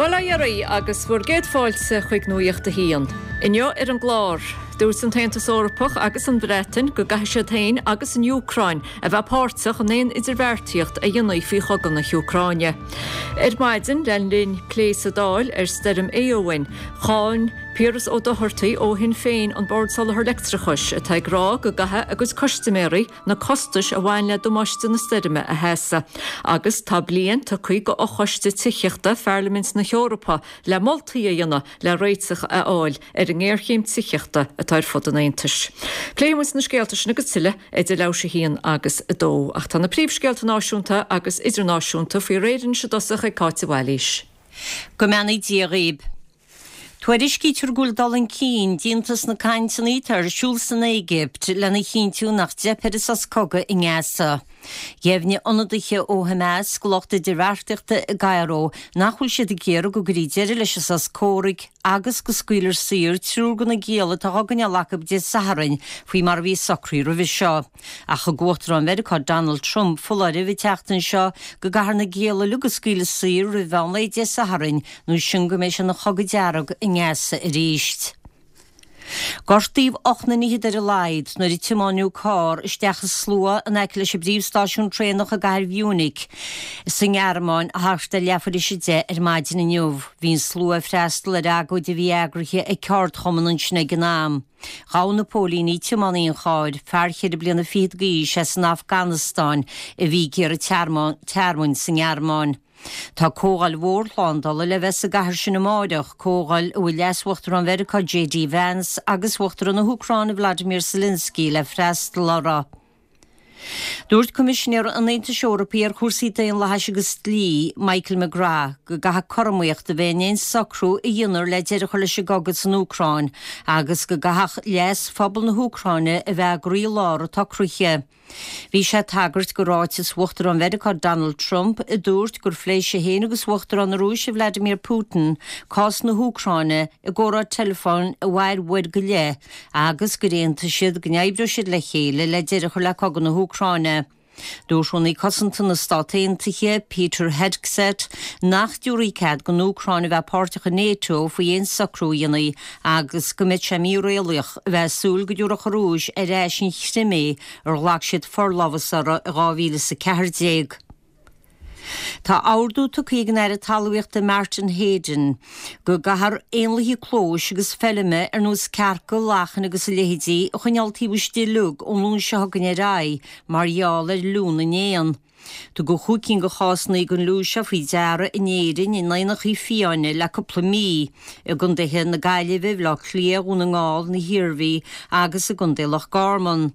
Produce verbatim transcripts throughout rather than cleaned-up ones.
Bhuel a dheirí agus bhur gcéad fáilte chuig Nuacht a hAon. Inniu ar an gclár, dúirt an tAontas Eorpach agus an Bhreatain go gcaithfidh siad féin agus an Úcráin a bheith páirteach in aon idirbheartaíocht a dhéanfaí faoi chogadh na hÚcráine. Ar maidin le linn plé sa Dáil ar stoirm Éowyn, cháin Piaras Ó Dochartaigh ó Shinn Féin an Bord Soláthair Leictreachais atá ag rá go gcaithfidh a gcuid custaiméirí na costais a bhain le damáiste na stoirme a sheasamh. Agus tá bliain tugtha do fhochoiste tithíochta Pharlaimint na hEorpa le moltaí a dhéanamh le réiteach a fháil ar an ngéarchéim tithíochta atá ar fud an Aontais. Pléifidh muid na scéalta sin agus tuilleadh idir leathuair tar éis a haon agus a dó, ach tá na príomhscéalta náisiúnta agus idirnáisiúnta faoi réir anois i dtosach ag Cáit de Bhailís. Go mbeannaí Dia dhaoibh. Tuairiscítear go bhfuil dul chun cinn déanta sna cainteanna atá ar siúl san Éigipt lena chinntiú nach dteipfear ar sos cogaidh i nGaza. Dheimhnigh ionadaithe ó Hamas do lucht idirbheartaíochta i gCairo nach bhfuil siad ag iarraidh go gcuirfí deireadh leis an sos comhraic agus go scaoilfear saor triúr de na gialla atá á gcoinneáil acu Dé Sathairn faoi mar a bhí socraithe roimhe seo. Ach thug Uachtarán Mheiriceá Donald Trump foláireamh an tseachtain seo go gcaithfear na gialla uilig a scaoileadh saor roimh mheán lae Dé Sathairn nó sin go mbeidh sé ina chogadh dearg i nGaza arís. Gortaíodh ocht nduine fhichead ar a laghad nuair a tiomáineadh carr isteach i slua in aice leis an bpríomhstáisiún traenach i gcathair Mhúnich sa nGearmáin thart ar leathuair tar éis a deich ar maidin inniu. Bhí an slua ag freastal ar agóid a bhí eagraithe ag ceardchumann ansin ag an am. Ghabh na póilíní tiománaí an chairr, fear ceithre bliana fichead d'aois as an Afganastáin a bhí ag iarraidh tearmainn sa nGearmáin. Tá comhdháil mhór shlándála le bheith sa gcathair sin amárach, comhdháil a bhfuil leas-Uachtarán Mheiriceá J.D. Vance agus Uachtarán na hÚcráine Vladimir Zelensky le freastal orthu. Dúirt Coimisinéir an Aontais Eorpaigh ar chúrsaí daonlathais agus dlí Michael McGrath go gcaithfidh cothromaíocht a bheith in aon socrú a dhéanfar le deireadh a chur leis an gcogadh san Úcráin agus go gcaithfeadh leas phobal na hÚcráine a bheith i gcroílár an tsocraithe. Bhí sé ag tagairt do ráiteas Uachtarán Mheiriceá Donald Trump a dúirt gur phléigh sé féin agus Uachtarán na Rúise Vladimir Putin cás na hÚcráine i gcomhrá teileafóin a mhair uair go leith agus gur aontaigh siad go n-oibreodh siad le chéile le deireadh a chur le cogadh na hÚcráine. Dúirt Rúnaí Cosanta na Stát Aontaithe Peter Hegseth nach dtabharfaí cead don Úcráin a bheith páirteach i NATO faoi aon socrú a dhéanfaí agus go mbeadh sé míréalaíoch a bheith ag súil go dtabharfadh an Rúis ar ais an Chrimé ar ghlac siad forlámhas uirthi i dhá mhíle is a ceathair déag. Tá ordú tugtha ag an Aire Talmhaíochta Martin Heydon go gcaithfear éanlaithe clóis agus feilme ar nós cearca, lachain agus a leithéidí a choinneáil taobh istigh uilig ón Luan seo chugainn ar aghaidh mar gheall ar fhliú na n-éan. Tugadh chúig cinn de chásanna den fhliú seo faoi deara in Éirinn in éanacha fiáine le cúpla mí, i gcontaetha na Gaillimhe, Bhaile Átha Cliath, Dhún na nGall, na hIarmhí agus i gcontae Loch Garman.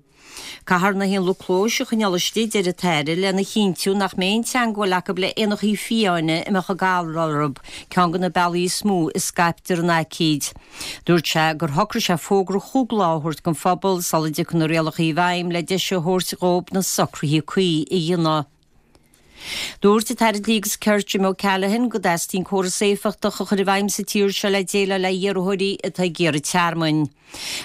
Caithfear na héanlaith clóis a choinneáil istigh, deir an tAire, lena chinntiú nach mbeidh aon teagmháil acu le éanacha fiáine a mbeadh an galar orthu, ceann de na bealaí is mó a scaiptear an aicíd. Dúirt sé gur shocraigh sé fógra chúig lá a thabhairt don phobal sula dtiocfaidh na rialacha i bhfeidhm le deis a thabhairt dhóibh na socruithe cuí a dhéanamh. Dúirt an tAire Dlí agus Cirt Jim O'Callaghan go dteastaíonn córas éifeachtach a chur i bhfeidhm sa tír seo le déileáil le hiarrthóirí atá ag iarraidh tearmainn.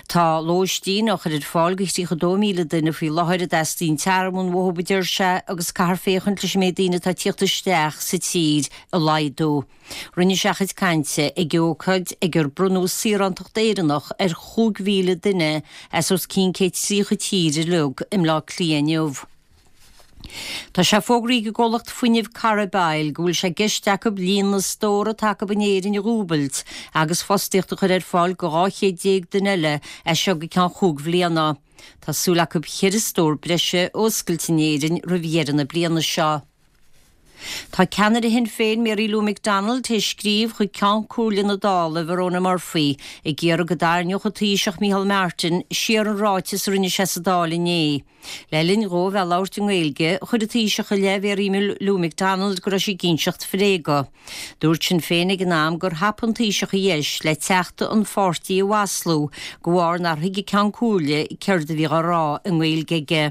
Tá lóistín á chur ar fáil do thríocha dó míle duine faoi láthair a dteastaíonn tearmann uathu, a deir sé, agus caithfear féachaint leis an méid daoine atá ag tíocht isteach sa tír a laghdú. Rinne sé a chuid cainte ag ócáid ag ar bronnadh saorántacht Éireannach ar chúig mhíle duine as os cionn céad tríocha tír uilig i mBleá Cliath inniu. Tá sé fógraithe ag an gcomhlacht fuinnimh Corrib Oil go bhfuil sé i gceist acu líon na stór atá acu in Éirinn a dhúbailt agus fostaíocht a chur ar fáil do dhá chéad déag duine eile as seo go ceann chúig bhliana. Tá súil acu ceithre stór breise a oscailt in Éirinn roimh dheireadh na bliana seo. Tá ceannaire Shinn Féin Mary Lou McDonald tar éis scríobh chuig Ceann Comhairle na Dála Verona Murphy ag iarraidh go dtarraingeodh an Taoiseach Micheál Martin siar an ráiteas a rinne sé sa Dáil inné. Le linn dhó bheith ag labhairt i nGaeilge, chuir an Taoiseach i leith Mhary Lou McDonald go raibh sí ag inseacht bhréaga. Dúirt Sinn Féin ag an am gur thapaigh an Taoiseach a dheis le teachta an pháirtí a mhaslú de bharr nár thuig an Ceann Comhairle céard a bhí á rá i nGaeilge aige.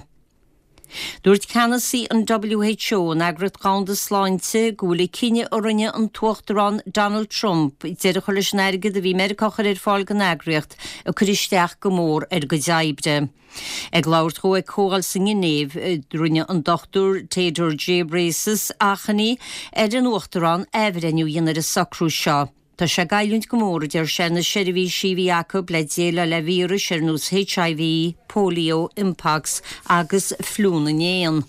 Dúirt ceannasaí an WHO an Eagraíocht Dhomhanda Sláinte go bhfuil an cinneadh a rinne an tUachtarán Donald Trump deireadh a chur leis an airgead a bhí Meiriceá a chur ar fáil don eagraíocht ag cur isteach go mór ar a gcuid oibre. Ag labhairt dó ag comhdháil sa nGinéiv, rinne an Dochtúir Tedros Ghebreyesus achainí ar an Uachtarán athbhreithniú a dhéanamh ar an socrú seo. Tá sé ag goilliúint go mór, a deir sé, na seirbhísí a bhí acu le déileáil le víris ar nós HIV, polio, mpox agus fliú na n-éan.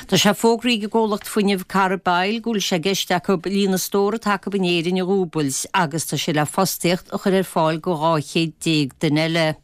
Tá sé fógraithe ag an gcomhlacht fuinnimh Corrib Oil go bhfuil sé i gceist acu líon na stór atá acu in Éirinn a dhúbailt agus tá sé le fostaíocht a chur ar fáil go dhá chéad déag duine eile.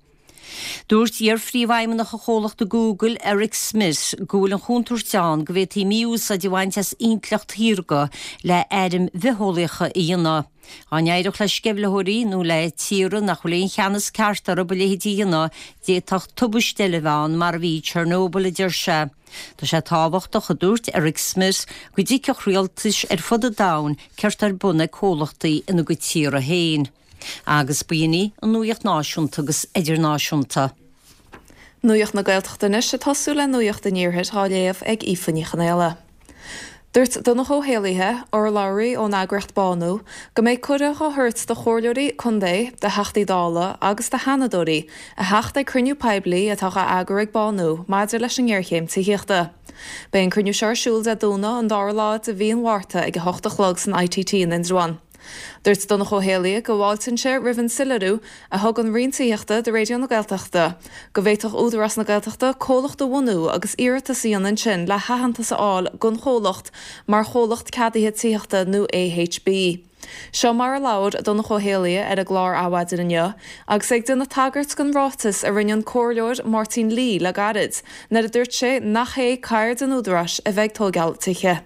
Dúirt iar-phríomhfheidhmeannach an chomhlachta Google, Eric Schmidt, go bhfuil an chontúirt ann go bhféadfaí mí-úsáid a bhaint as intleacht shaorga le hairm bhitheolaíocha a dhéanamh. Dá n-éireodh le sceimhlitheoirí nó le tíortha nach bhfuil aon cheannas ceart orthu a leithéid a dhéanamh, d'fhéadfadh tubaiste eile a bheith ann mar a bhí i Chernobyl, a deir sé. Tá sé tábhachtach, a dúirt Eric Schmidt, go dtuigfeadh rialtais ar fud an domhain céard atá ar bun ag comhlachtaí ina gcuid tíortha féin. Agus b'in í an nuaíocht náisiúnta agus idirnáisiúnta. Nuacht na Gaeltachta anois ag tosú le Nuacht an Iarthair á léamh ag Aoife Ní Chonaola. Dúirt Donncha Ó hÉallaithe, urlabhraí ón eagraíocht Bánú, go mbeidh cuireadh á thabhairt do chomhairleoirí contae, do Theachtaí Dála agus do Sheanadóirí a theacht ag cruinniú poiblí atá á eagrú ag Bánú maidir leis an ngéarchéim tithíochta. Beidh an cruinniú seo ar siúl Dé Domhnaigh an dara lá de mhí an Mhárta ag a hocht a chlog san ITT in Indreabhán. Dúirt Donncha Ó hÉallaithe go bhfáiltíonn sé roimh an soiléiriú a thug an Roinn Tithíochta do Raidió na Gaeltachta go bhféadfadh Údarás na Gaeltachta comhlacht a bhunú agus iarratas a dhéanamh ansin le haitheantas a fháil don chomhlacht mar chomhlacht ceadaithe tithíochta nó AHB. Seo mar a labhair Donncha Ó hÉallaithe ar an gclár Adhmhaidin inniu agus é ag déanamh tagairt don ráiteas a rinne an comhairleoir Máirtín Lee le gairid nuair a dúirt sé nach é ceird an Údaráis a bheith ag tógáil tithe.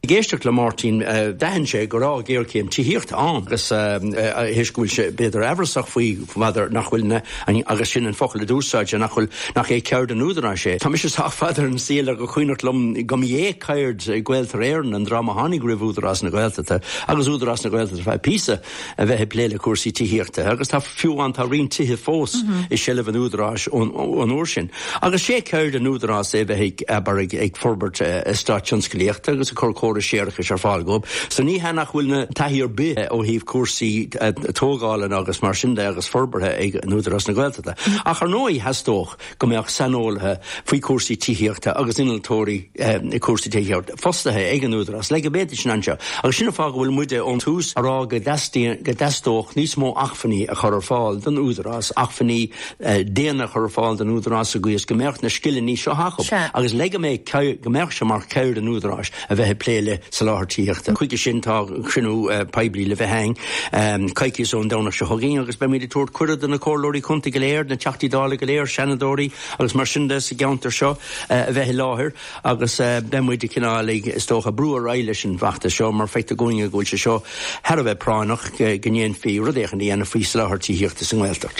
Ag éisteacht le Máirtín d'aithin sé go raibh géarchéim tithíochta ann agus théis go bhfuil sé b'fhéidir amhrasach faoi b'fhéidir nach bhfuil na agus sin an focal a d'úsáid sé nach bhfuil nach é ceird an Údaráis é. Tá mise sách fada ar an saol agus cuimhneach liom go mb'é ceird Gaeltarra Éireann an dream a tháinig roimh Údarás na Gaeltachta agus Údarás na Gaeltachta feadh píosa a bheith ag plé le cúrsaí tithíochta agus tá fiú an tá roinnt tithe fós i seilbh an Údaráis ón uair sin. Agus sé ceird an Údarás é bheith ag ag forbairt eastát tionsclaíochta agus ag cur córas séarachais ar fáil dóibh. So ní hea nach bhfuil na taithí ar bith ó thaobh cúrsaí tógála agus mar sin de agus forbartha ag an Údarás na Gaeltachta. Ach ar ndóigh theastódh go mbeadh saineolaithe faoi cúrsaí tithíochta agus innealtóirí cúrsaí tithíochta fostaithe ag an Údarás le go mbeidís in ann seo. Agus sin an fáth go bhfuil muide ón tús ag rá go go dteastódh níos mó acmhainní a chur ar fáil don Údarás, acmhainní daonna a chur ar fáil don Údarás agus go mbeadh na scileanna seo acu agus le go mbeadh go mbeadh sé mar cheird an Údaráis a bheith ag plé le soláthar tithíochta. Chuige sin tá cruinniú poiblí le bheith againn coicís ón Domhnach seo chugainn agus beimid ag tabhairt cuireadh do na comhairleoirí contae go léir, na Teachtaí Dála go léir, seanadóirí agus mar sin de sa gceantar seo a bheith i láthair agus beimid ag cineál ag is dócha brú ar aghaidh leis an bhfeachtas seo mar feictear dúinne go bhfuil sé seo thar a bheith práinneach go ndéanfaí rud éicint a dhéanamh faoi soláthar tithíochta sa nGaeltacht.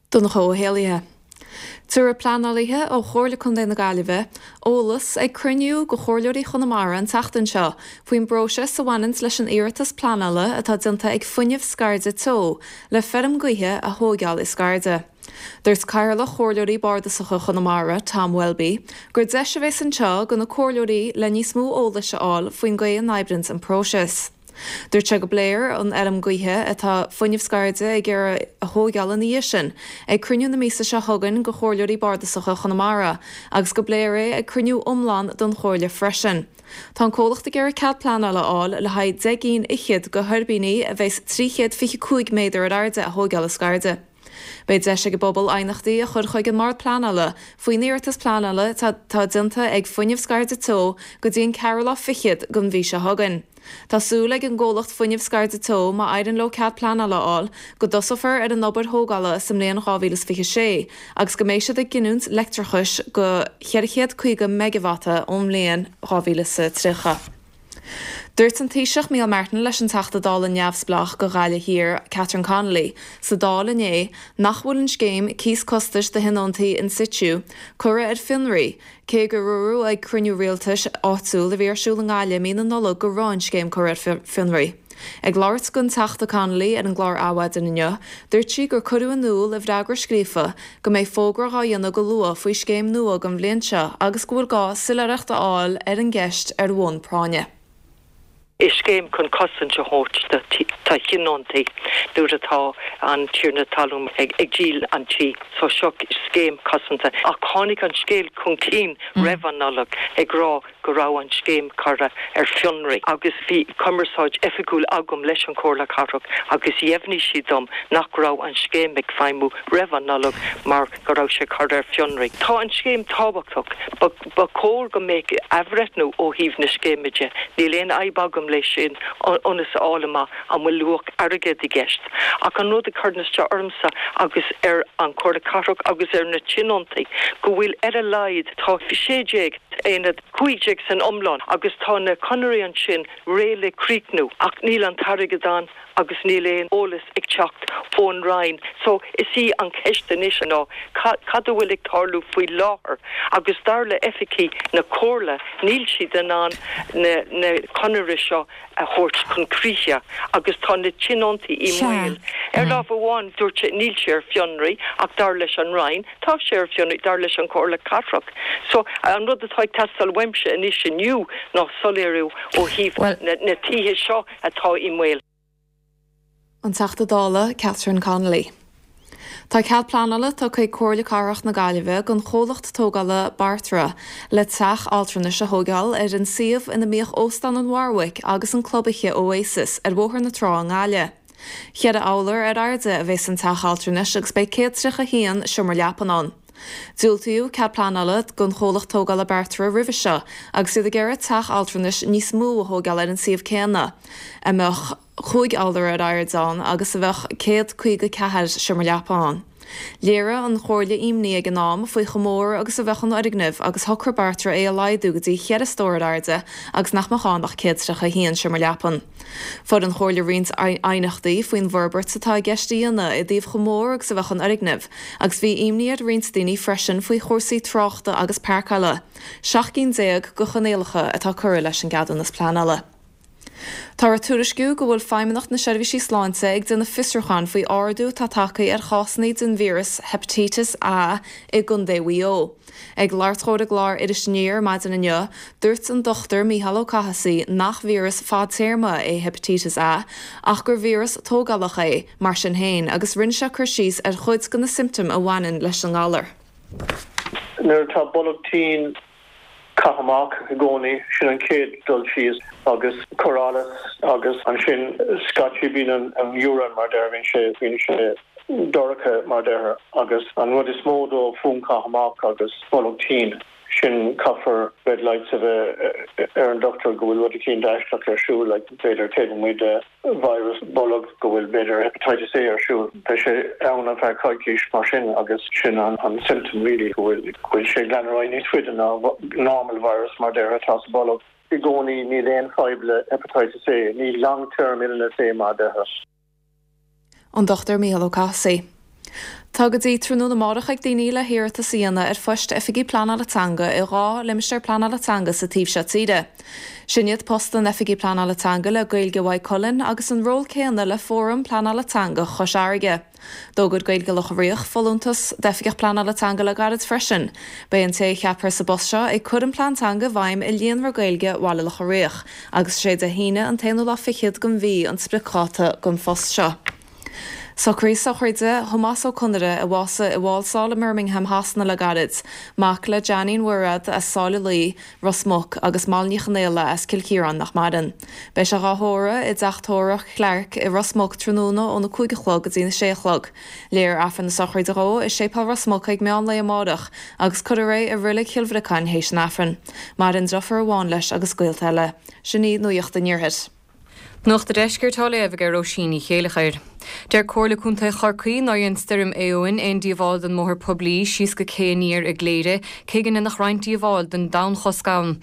Donncha Ó hÉallaithe. Tabharfaidh pleanálaithe ó Chomhairle Contae na Gaillimhe eolas ag cruinniú do chomhairleoirí Chonamara an tseachtain seo faoin bpróiseas a bhaineann leis an iarratas pleanála atá déanta ag Fuinneamh Scairde Teo le feirm gaoithe a thógáil i Scairde. Dúirt Cathaoirleach Chomhairleoirí Bardasacha Chonamara, Tom Welby, gur deis a bheas anseo do na comhairleoirí le níos mó eolais a fháil faoin gcaoi a n-oibríonn an próiseas. Dúirt sé go bpléifear an fheirm gaoithe atá Fuinneamh Scairde ag iarraidh a thógáil ina dhiaidh sin, ag cruinniú na míosa seo chugainn do chomhairleoirí Bardasacha Chonamara, agus go bpléifear é ag cruinniú iomlán don chomhairle freisin. Tá an comhlacht ag iarraidh cead pleanála a fháil le haghaidh deich gcinn fhichead de thuirbíní a bheas trí chéad fiche cúig méadar ar airde a thógáil i Scairde. Beidh deis ag an bpobal aighneachtaí a chur chuig an mBord Pleanála faoin iarratas pleanála atá déanta ag Fuinneamh Scairde Teo go dtí an ceathrú lá fichead den mhí seo chugainn. Tá súil ag an gcomhlacht Fuinneamh Scairde Teo má éiríonn leo cead pleanála a fháil go dtosófar ar an obair thógála sa mbliain dhá mhíle is fiche sé agus go mbeidh siad ag giniúint leictreachais go ceithre chéad caoga meigeavata ón mbliain dhá mhíle is tríocha. Dúirt an Taoiseach Micheál Martin leis an Teachta Dála neamhspleách do Ghaillimh Thiar, Catherine Connolly, sa Dáil inné nach bhfuil an scéim cíos costais do thionóntaí in situ curtha ar fionraí, cé gur dúradh ag cruinniú rialtais áitiúil a bhí ar siúl i nGaillimh i mí na Nollag go raibh an scéim curtha ar fionraí. Ag labhairt don Teachta Connolly ar an gclár Adhmhaidin inniu, dúirt sí gur cuireadh in iúl i bhfreagra scríofa go mbeidh fógra á dhéanamh go luath faoi scéim nua don bhliain seo agus go bhfuil gá soiléireacht a fháil ar an gceist ar bhonn práinne. Is scéim chun cosaint a thabhairt do thionóntaí nuair atá an tiarna talún ag ag díol an tí so seo scéim cosanta ach tháinig an scéal chun cinn roimh an Nollaig ag rá go raibh an scéim curtha ar fionraí agus bhí cumarsáid oifigiúil agam leis an Chomhairle Cathrach agus dheimhnigh siad dom nach raibh an scéim ag feidhmiú roimh an Nollaig mar go raibh sé curtha ar fionraí. Tá an scéim tábhachtach ba chóir go mbeadh athbhreithniú ó thaobh na scéime de níl aon fhadhb agam leis sin ionas a fháil amach an bhfuil luach airgid i gceist. Ach an rud a chuireann isteach ormsa agus ar an Chomhairle Cathrach agus ar na tionóntaí go bhfuil ar a laghad tá sé déag aonad cúig déag san iomlán agus tá na conairí ansin réidh le críochnú ach níl an t-airgead ann agus níl aon eolas ag teacht ón Roinn. So is í an cheist anois ná cad a bhfuil ag tarlú faoi láthair agus dar le oifigigh na Comhairle níl siad in ann na na conairí seo a thabhairt chun críche agus tá na tionóntaí i mbaol. Ar lámh amháin dúirt sé níl sé ar fionraí ach dar leis an Roinn tá sé ar fionraí dar leis an Chomhairle Cathrach. So an rud atá ag teastáil uaimse anois inniu ná soiléiriú ó thaobh na, na tithe seo atá i mbaol. An Teachta Dála Catherine Connolly. Tá cead pleanála tugtha ag Comhairle Cathrach na Gaillimhe don chomhlacht tógála Bartra le teach altranais a thógáil ar an suíomh ina mbíodh Óstán an Warwick agus an club oíche Oasis ar Bhóthar na Trá i nGaillimh. Ceithre urlár ar airde a bheidh san teach altranais agus beidh céad tríocha haon seomra leapan ann. Diúltaíodh cead pleanála don chomhlacht tógála Bartra roimhe seo agus iad ag iarraidh teach altranais níos mó a thógáil ar an suíomh céanna, a mbeadh cúig urlár ar airde ann agus a bheadh céad caoga ceathair seomra leapa ann. Léirigh an Chomhairle imní ag an am faoi chomh mór agus a bheadh an foirgneamh agus shocraigh Bartra é a laghdú go dtí cheithre stór ar airde agus nach mbeadh ann ach céad tríocha haon seomra leapan. Fuair an Chomhairle roinnt aighneachtaí faoin bhforbairt atá i gceist a dhéanamh i dtaobh chomh mór agus a bheadh an foirgneamh, agus bhí imní ar roinnt daoine freisin faoi chúrsaí tráchta agus páirceála. Seacht gcinn déag de choinníollacha atá curtha leis an gceadúnas pleanála. Táthar ag tuairisciú go bhfuil Feidhmeannacht na Seirbhísí Sláinte ag déanamh fiosrúcháin faoi ardú atá tagtha ar chásanna den víreas Hepatitis A i gContae Mhaigh Eo. Ag labhairt dó ar an gclár Iris Aniar maidin inniu, dúirt an Dochtúir Mícheál Ó Cathasaigh nach víreas fadtéarma é Hepatitis A ach gur víreas tógálach é mar sin féin agus rinne sé cur síos ar chuid de na siomptóim a bhaineann leis an ngalar. Nuair atá bolg tinn caith amach i gcónaí sin an chéad dul síos agus cur allas agus ansin scaití bíonn an an urine mar deir bíonn sé bíonn sé dorcha mar deir agus an rud is mó dó fún caith amach agus bolg tinn sin caithfear red lights a bheith ar an doctor go bhfuil rud eicínt aisteach ar siúl like b'fhéidir taobh amuigh de virus bolg go bhfuil b'fhéidir hepatitis A ar siúl. Beidh sé ann ar feadh coicís mar sin agus sin an an symptom really go bhfuil go bhfuil sé ag leanúint ar aghaidh níos faide ná normal virus mar deir atá sa bolg. I gcónaí níl aon fadhb le hepatitis A, ní long term illness é mar deir. An Dochtúir Mícheál Ó Cathasaigh. Tá go dtí tráthnóna amárach ag daoine le hiarratas a dhéanamh ar phoist oifigigh pleanála teanga i dhá limistéar pleanála teanga sa taobh seo tíre. Sin iad post an oifigigh pleanála teanga le Gaeilge Mhaigh Cuilinn agus an ról céanna le Fóram Pleanála Teanga Chois Fharraige. D'fhógair Gaeilge Locha Riach folúntas d'oifigeach pleanála teanga le gairid freisin. Beidh an té a cheapfar sa bpost seo ag cur an plean teanga i bhfeidhm i líonra Gaeilge Bhaile Locha Riach agus sé Dé hAoine an t-aonú lá fichead den mhí an spriocdháta don phost seo. Socruithe sochraide Thomás Ó Conaire a bhásaigh i Walsall i mBirmingham Shasana le gairid, mac le Janine Mhuiread as Sáile Luí, Ros Muc agus Molly Ní Chonaola as Cill Chiaráin nach maireann. Beidh sé dhá thórramh i dteach tórraimh Chlarke i Ros Muc tráthnóna óna cúig a chlog go dtí na sé a chlog. Léifear Aifreann na sochraide dhó i Séipéal Ros Muc ag meán lae amárach agus cuirfear é i Reilig Chill Bhriocáin théis an Aifrinn. Maireann deirfiúr amháin leis agus gaolta eile. Sin í Nuacht an Iarthair. Nuacht an Deiscirt á léamh ag Róisín Ní Chéilleachair. Deir Comhairle Contae Chorcaí nár dhein Stoirm Éowyn aon díobháil don mbóthar poiblí síos go Cé Aniar i gCléire, cé go ndearnadh roinnt díobháil don damhánchosc ann.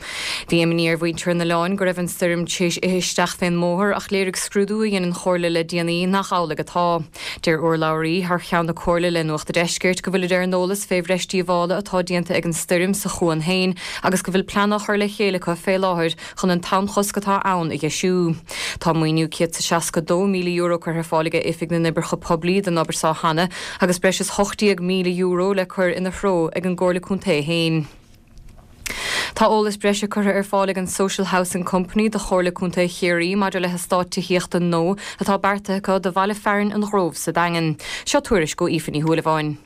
Bhí imní ar mhuintir an oileáin go raibh an stoirm tar éis ithe isteach fén mbóthar ach léirigh scrúdú a dhein an Chomhairle le déanaí nach amhlaidh atá. Deir urlabhraí thar cheann na Comhairle le Nuacht an Deiscirt go bhfuilid ar an eolas fé bhreis díobhála atá déanta ag an stoirm sa chuan féin agus go bhfuil plean á chur le chéile acu fé láthair chun an damhánchosc atá ann a dheisiú. Tá maoiniú céad seasca dó míle euro curtha ar fáil ag Oifig na nOibreacha Poiblí don obair seo cheana agus breis is ocht déag míle euro le cur ina threo ag an gComhairle Contae féin. Tá eolas breise curtha ar fáil ag an Social Housing Company do Chomhairle Contae Chiarraí maidir le heastát tithíochta nua atá beartaithe acu do bhaile fearainn an Ghrove sa Daingean. Seo tuairisc ó Aoife Ní Shúilleabháin.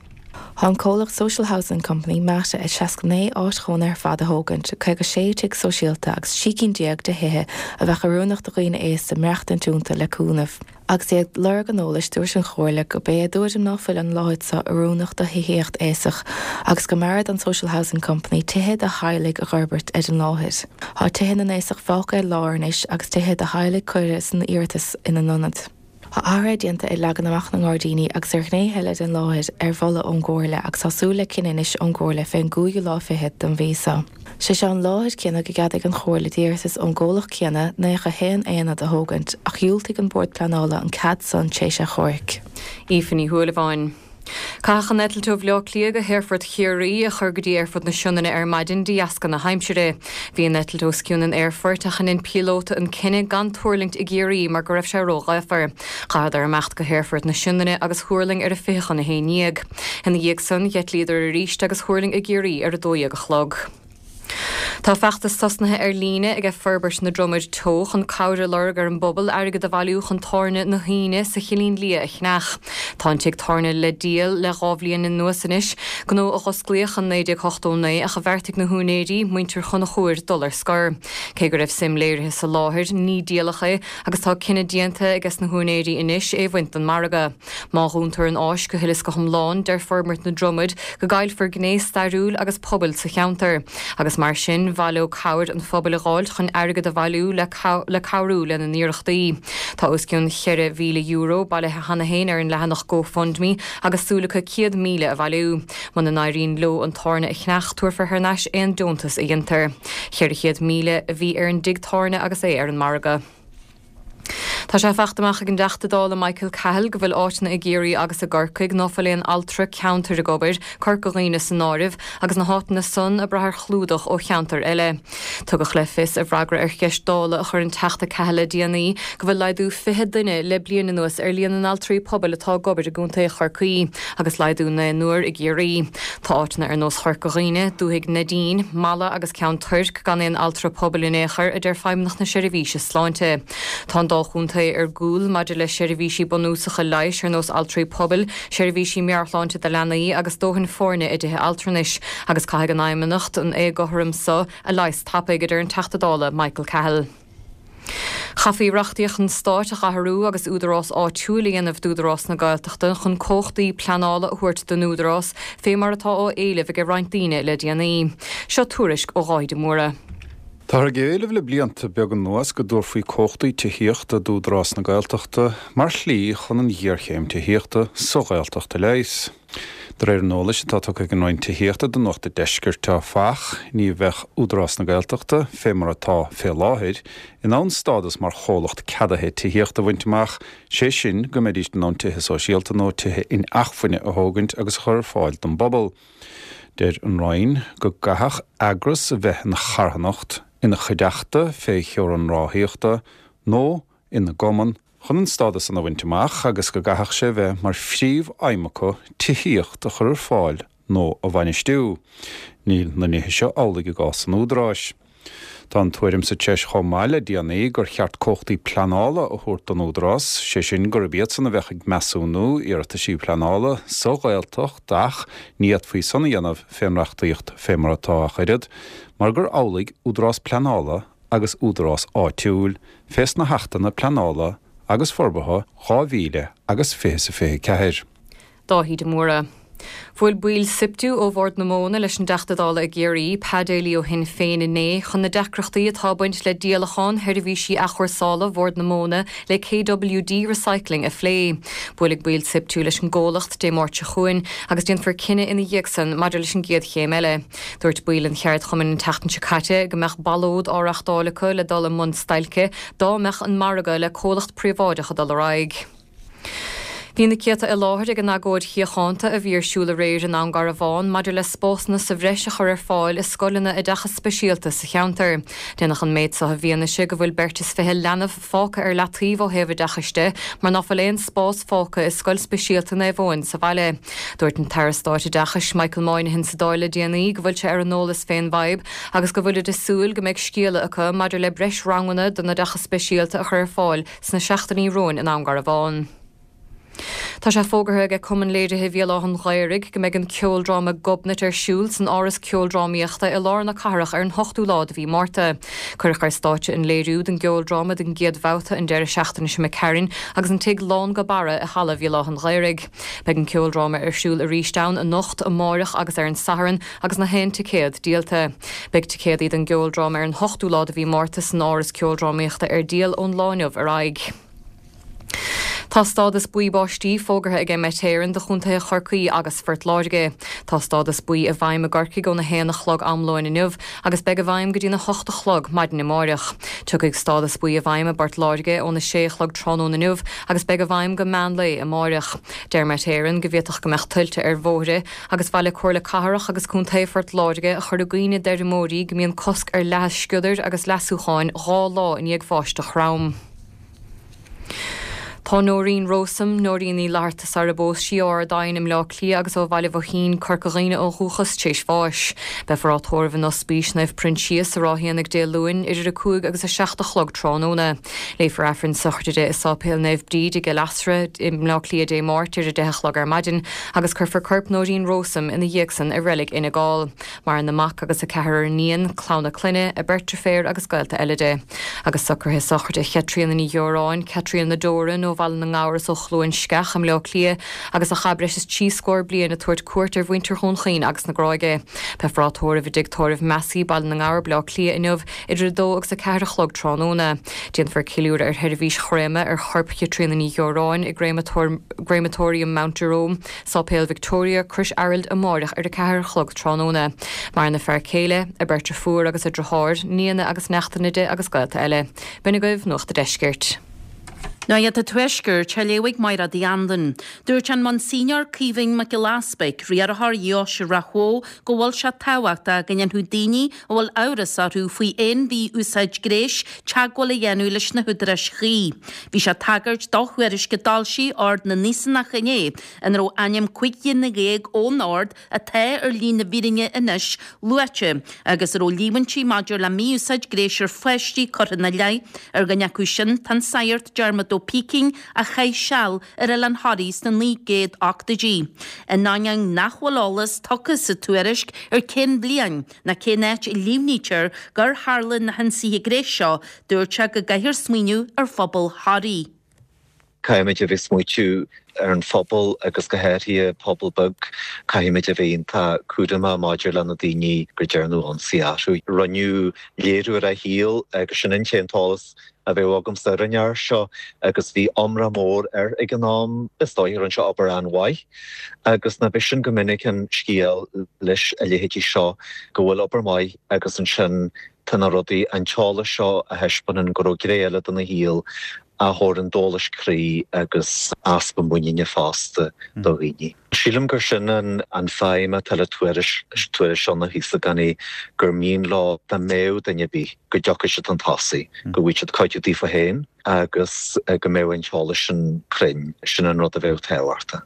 Tá an comhlacht Social Housing Company meáite ar seasca naoi áit chónaithe ar fad a thógaint, caoga sé tigh sóisialta agus trí cinn déag de thithe a bheadh oiriúnach do dhaoine aosta maireachtaint iontu le cúnamh. Agus é ag lorg an eolais dúirt an chomhairle gurb é a dtuairim ná fuil an láthair seo oiriúnach do thithíocht aosach, agus go mb'fhearr don Social Housing Company tithe do theaghlaigh a fhorbairt ar an láthair. Tá tithe na n-aosach fágtha ar lár anois agus tithe do theaghlaigh curtha san iarratas ina n-ionad. Tá athruithe déanta ar leagan amach na ngairdíní agus ar ghnéithe eile den láthair ar mholadh ón gcomhairle agus tá súil le cinneadh anois ón gcomhairle fén gcúigiú lá fichead den mhí seo. Sé seo an láthair chéanna gur cheadaigh an chomhairle d'iarratas ón gcomhlacht céanna nócha haon aonad a thógaint ach dhiúltaigh an Bord Pleanála an cead san tar éis achomhairc. Aoife Ní Shúilleabháin. Caitheadh an eitilt ó Bhaile Átha Cliath go hAerfort Chiarraí a chur go dtí Aerfort na Sionainne ar maidin de dheasca na haimsire. Bhí an eitilt os cionn an aerfoirt ach dhein píolóta an cinneadh gan tuirlingt i gCiarraí mar go raibh sé róghaofar. Chaitheadar imeacht go hAerfort na Sionainne agus thuirling ar a fiche chun a haon déag. Ina dhiaidh san d'eitlíodar arís agus thuirling i gCiarraí ar a dó dhéag a chlog. Tá feachtas tosnaithe ar líne ag Forbairt na Dromad Teo chun cabhair a lorg ar an bpobal airgead a bhailiú chun tábhairne na hAoine sa Chillín Liath a cheannach. Tá an tigh tábhairne le díol le dhá bhliain anuas anois, gnó a osclaíodh in naoi déag ochtó naoi ach a bheartaigh na húinéirí muintir Chonchúir dul ar scor. Cé go raibh suim léirithe sa láthair ní díoladh é agus tá cinneadh déanta ag na húinéirí anois é a bhaint den margadh. Má dhúntar an áis go huile is go hiomlán deir Forbairt na Dromad go gcaillfear gné stairiúil agus pobail sa cheantar, agus mar sin ba mhaith leo cabhair an phobail a fháil chun airgead a bhailiú le le cabhrú lena n-iarrachtaí. Tá os cionn ceithre mhíle euro bailithe cheana féin ar an leathanach GoFundMe agus súil acu céad míle a bhailiú. Muna n-éiríonn leo an tábhairne a cheannach tabharfar thar n-ais aon deontas a dhéantar. Ceithre chéad míle a bhí ar an dtigh tábhairne agus é ar an margadh. Tá sé fachta amach ag an dTeachta Dála Michael Cahill go bhfuil áiteanna i gCiarraí agus i gCorcaigh ná fuil aon altra ceantair ag obair, Corca Dhuibhne san áireamh, agus na háiteanna san ag brath ar chlúdach ó cheantar eile. Tugadh le fios i bhfreagra ar cheist Dála a chuir an Teachta Cahill le déanaí go bhfuil laghdú fiche duine le bliain anuas ar líon na n-altraí pobail atá ag obair i gContae Chorcaí, agus laghdú naonúr i gCiarraí. Tá áiteanna ar nós Chorca Dhuibhne, Dúthaigh Neidín, Mala agus Ceann Toirc gan aon altra pobail in aon chor a deir Feidhmeannacht na Seirbhíse Sláinte. Tá an dá chontae ar gcúl maidir le seirbhísí bunúsacha leighis ar nós altraí pobail, seirbhísí meabhairshláinte do leanaí agus dóthain foirne i dtithe altranais, agus caithfidh an Fheidhmeannacht an éagothrom seo a leigheas tapaidh a deir an Teachta Dála Michael Cahill. Chaithfí reachtaíocht an stáit a athrú agus údarás áitiúil a dhéanamh d'Údarás na Gaeltachta chun cumhachtaí pleanála a thabhairt don údarás fé mar atá á éileamh ag roinnt daoine le déanaí. Seo tuairisc ó Dháithí de Mórdha. Tá ag éileamh le blianta beaga anuas go dtabharfaí cumhachtaí tithíochta d'Údarás na Gaeltachta mar shlí chun an ghéarchéim tithíochta sa Ghaeltacht a leigheas. De réir an eolais atá tugtha ag an Roinn Tithíochta do Nuacht an Deiscirt áfach, ní bheadh Údarás na Gaeltachta fé mar atá fé láthair in ann stádas mar chomhlacht ceadaithe tithíochta a bhaint amach, sé sin go mbeidís in ann tithe sóisialta nó tithe inacmhainne a thógaint agus a chur ar fáil don bpobal. Deir an Roinn go gcaithfeadh eagras a bheith ina charthanacht ina chuideachta fé theorainn ráthaíochta nó ina gcumann chun an stádas san a bhaint amach agus go gcaithfeadh sé bheith mar phríomhaidhm acu tithíocht a chur ar fáil nó a bhainistiú. Níl na nithe seo amhlaidh i gcás an údaráis. Tá an tuairim sa treis chomh maith le déanaí gur cheart cumhachtaí pleanála a thabhairt don údarás, sé sin gurb iadsan a bheadh ag measúnú iarrataisí pleanála sa Ghaeltacht ach ní fhéadfaí san a dhéanamh fén reachtaíocht fé mar atá ach oiread, mar gur amhlaidh údarás pleanála agus údarás áitiúil fés na hAchtanna Pleanála agus Forbartha dhá mhíle agus fiche is a fiche ceathair. Dáithí de Mórdha. Bhuail baill SIPTU ó Bhord na Móna leis an dTeachta Dála i gCiarraí, Pa Daly ó Shinn Féin inné chun na deacrachtaí atá ag baint le díolachán sheirbhísí athchúrsála Bhord na Móna le KWD Recycling a phlé. Buailfidh baill SIPTU leis an gcomhlacht Dé Máirt seo chugainn agus déanfar cinneadh ina dhiaidh san maidir leis an gcéad chéim eile. Dúirt baill an cheardchumainn an tseachtain seo caite go mbeadh ballóid á reáchtáil acu le dul i mbun stailce dá mbeadh an margadh le comhlacht príobháideach ag dul ar aghaidh. Bhí na céadta i láthair ag an agóid shíochánta a bhí ar siúl aréir i nDún Garbhán maidir le spásanna sa bhreis a chur ar fáil i scoileanna oideachais speisialta sa cheantar. Déanadh an méid seo i bhfianaise go bhfuil beirt is fiche leanbh fágtha ar leataobh ó thaobh oideachais de mar ná fuil aon spás fágtha i Scoil Speisialta Naomh Eoin sa bhaile. Dúirt an tAire Stáit Oideachais Michael Moynihan sa Dáil le déanaí go bhfuil sé ar an eolas fén bhfadhb agus go bhfuilid ag súil go mbeidh scéala acu maidir le breis ranganna don oideachas speisialta a chur ar fáil sna seachtainí romhainn i nDún Garbhán. Tá sé fógartha ag Cumann Léirithe Bhéal Átha an Ghaorthaidh go mbeidh an ceoldráma Gobnait ar siúl san Áras Ceoldrámaíochta i lár na cathrach ar an hochtú lá de mhí Márta. Cuireadh ar stáitse an léiriú den gceoldráma den gcéad bhabhta an deireadh seachtaine seo imigh tharainn agus an tigh lán go barra i halla Bhéal Átha an Ghaorthaidh. Beidh an ceoldráma ar siúl arís ann anocht, amáireach agus ar an Satharn agus na haon ticéad díolta. Beidh ticéadaí don gceoldráma ar an hochtú lá de mhí Márta san Áras Ceoldrámaíochta ar díol ón lá inniu ar aghaidh. Tá stádas buí báistí fógartha ag Met Éireann do chontaetha Chorcaí agus Phort Láirge. Tá stádas buí i bhfeidhm i gCorcaigh óna haon a chlog am lóin inniu agus beidh i bhfeidhm go dtína hocht a chlog maidin amáireach. Tiocfaidh stádas buí i bhfeidhm i bPort Láirge óna sé a chlog tráthnóna inniu agus beidh i bhfeidhm go meán lae amáireach. Deir Met Éireann go bhféadfadh go mbeadh tuilte ar bhóithre agus b'mhaith le Comhairle Cathrach agus Contae Phort Láirge a chur i gcuimhne d'fheirmeoirí go mbíonn cosc ar leathadh sciodair agus leasúcháin dhá lá i ndiaidh bháisteach throm. Tá Nóirín Rowsome, Nóirín Ní Fhlatharta sara bpós sí ó Ard Aidhin i mBleá Cliath agus ó Bhaile Bhoithín, Corca Dhuibhne ó dhúchas tar éis bháis. Beifear á tórramh in Ospís Naomh Proinsias i Ráth Éanaigh Dé Luain idir a cúig agus a seacht a chlog tráthnóna. Léifear Aifreann sochraide i Sáipéal Naomh Bríd i gCill Easra i mBleá Cliath Dé Máirt ar a deich a chlog ar maidin agus cuirfear corp Nóirín Rowsome ina dhiaidh san i Reilig Fhine Gall. Maireann a mac agus a ceathrar iníon, clann a clainne, a beirt deirféar agus gaolta eile di. Agus socruithe sochraide Chaitríona Ní Gheoráin, Caitríona Doran ó Bhaile na nGabhar is ó Chluain Sceach i mBleá Cliath agus a chaith breis is trí scór bliain ag tabhairt cuairt ar mhuintir Dhún Chaoin agus na Gráige. Beifear á tórramh i dTigh Tórraimh Massey, Baile na nGabhar, Bleá Cliath inniu idir a dó agus a ceathair a chlog tráthnóna. Déanfar ceiliúradh ar sheirbhís chréamtha ar chorp Chaitríona Ní Gheoráin i gCréamatóiriam Mount Jerome, Sáipéal Victoria, Crois Araild amáireach ar a ceathair a chlog tráthnóna. Maireann a fear céile, a beirt deirfiúr agus a deartháir, nianna agus neachtanna di agus gaolta eile. B'in agaibh Nuacht an Deiscirt. Nuacht an Tuaiscirt á léamh ag Máire Uí Anluain. Dúirt an Monsignor Caoimhín Mac Giolla Easpaig, riarthóir Dheoise Ráth Bhoth, go bhfuil sé tábhachtach go ndéanfadh daoine a bhfuil amhras orthu faoi aon mhí-úsáid gnéis teagmháil a dhéanamh leis na húdaráis chuí. Bhí sé ag tagairt do thuairisc a d'fhoilsigh Ord na nÍosánach inné, ina raibh ainm cúig dhuine dhéag ón ord atá ar shlí na bhfírinne anois luaite agus a raibh líomhaintí maidir le mí-úsáid gnéis ar pháistí curtha ina leith. Ar dhuine acu sin tá an Sagart Diarmuid Ó Pícín a chaith seal ar Oileán Thoraí sna naoi gcéad ochtóidí. In ainneoin nach bhfuil eolas tugtha sa tuairisc ar cén bhliain ná cén áit a líomhnaítear gur tharla na hionsaithe gnéis seo, dúirt sé go gcaithfear smaoineamh ar phobal Thoraí. Caithfimid a bheith smaoitiú ar an phobal agus go háirithe pobal beag, caithfimid a bheith iontach cúramach maidir le na daoine gur déanadh ionsaí orthu. Rinneadh léiriú ar a shaol agus sin an t-aon t-eolas a bheadh agamsa ar an fhear seo agus bhí iomrá mór air ag an am. Is dóigh rinne sé obair an-mhaith agus ná b'shin go minic an scéal leis a leithéidí seo go bhfuil obair mhaith agus ansin tá na rudaí, an t-eolas seo a thaispeánann go raibh gné eile dena shaol a thabharann dólás croí agus easpa muiníne fosta do dhaoine. Sílim gur sin an an feidhm atá le tuairisc tuairisc seo na hÍosagánaigh gur mian leo dá mbeadh duine ar bith go dtiocfadh siad chun tosaigh, go bhfaighidh siad cuidiú daofa féin agus go mbeadh an t-eolas sin cruinn. Sin an rud a bheadh tábhachtach.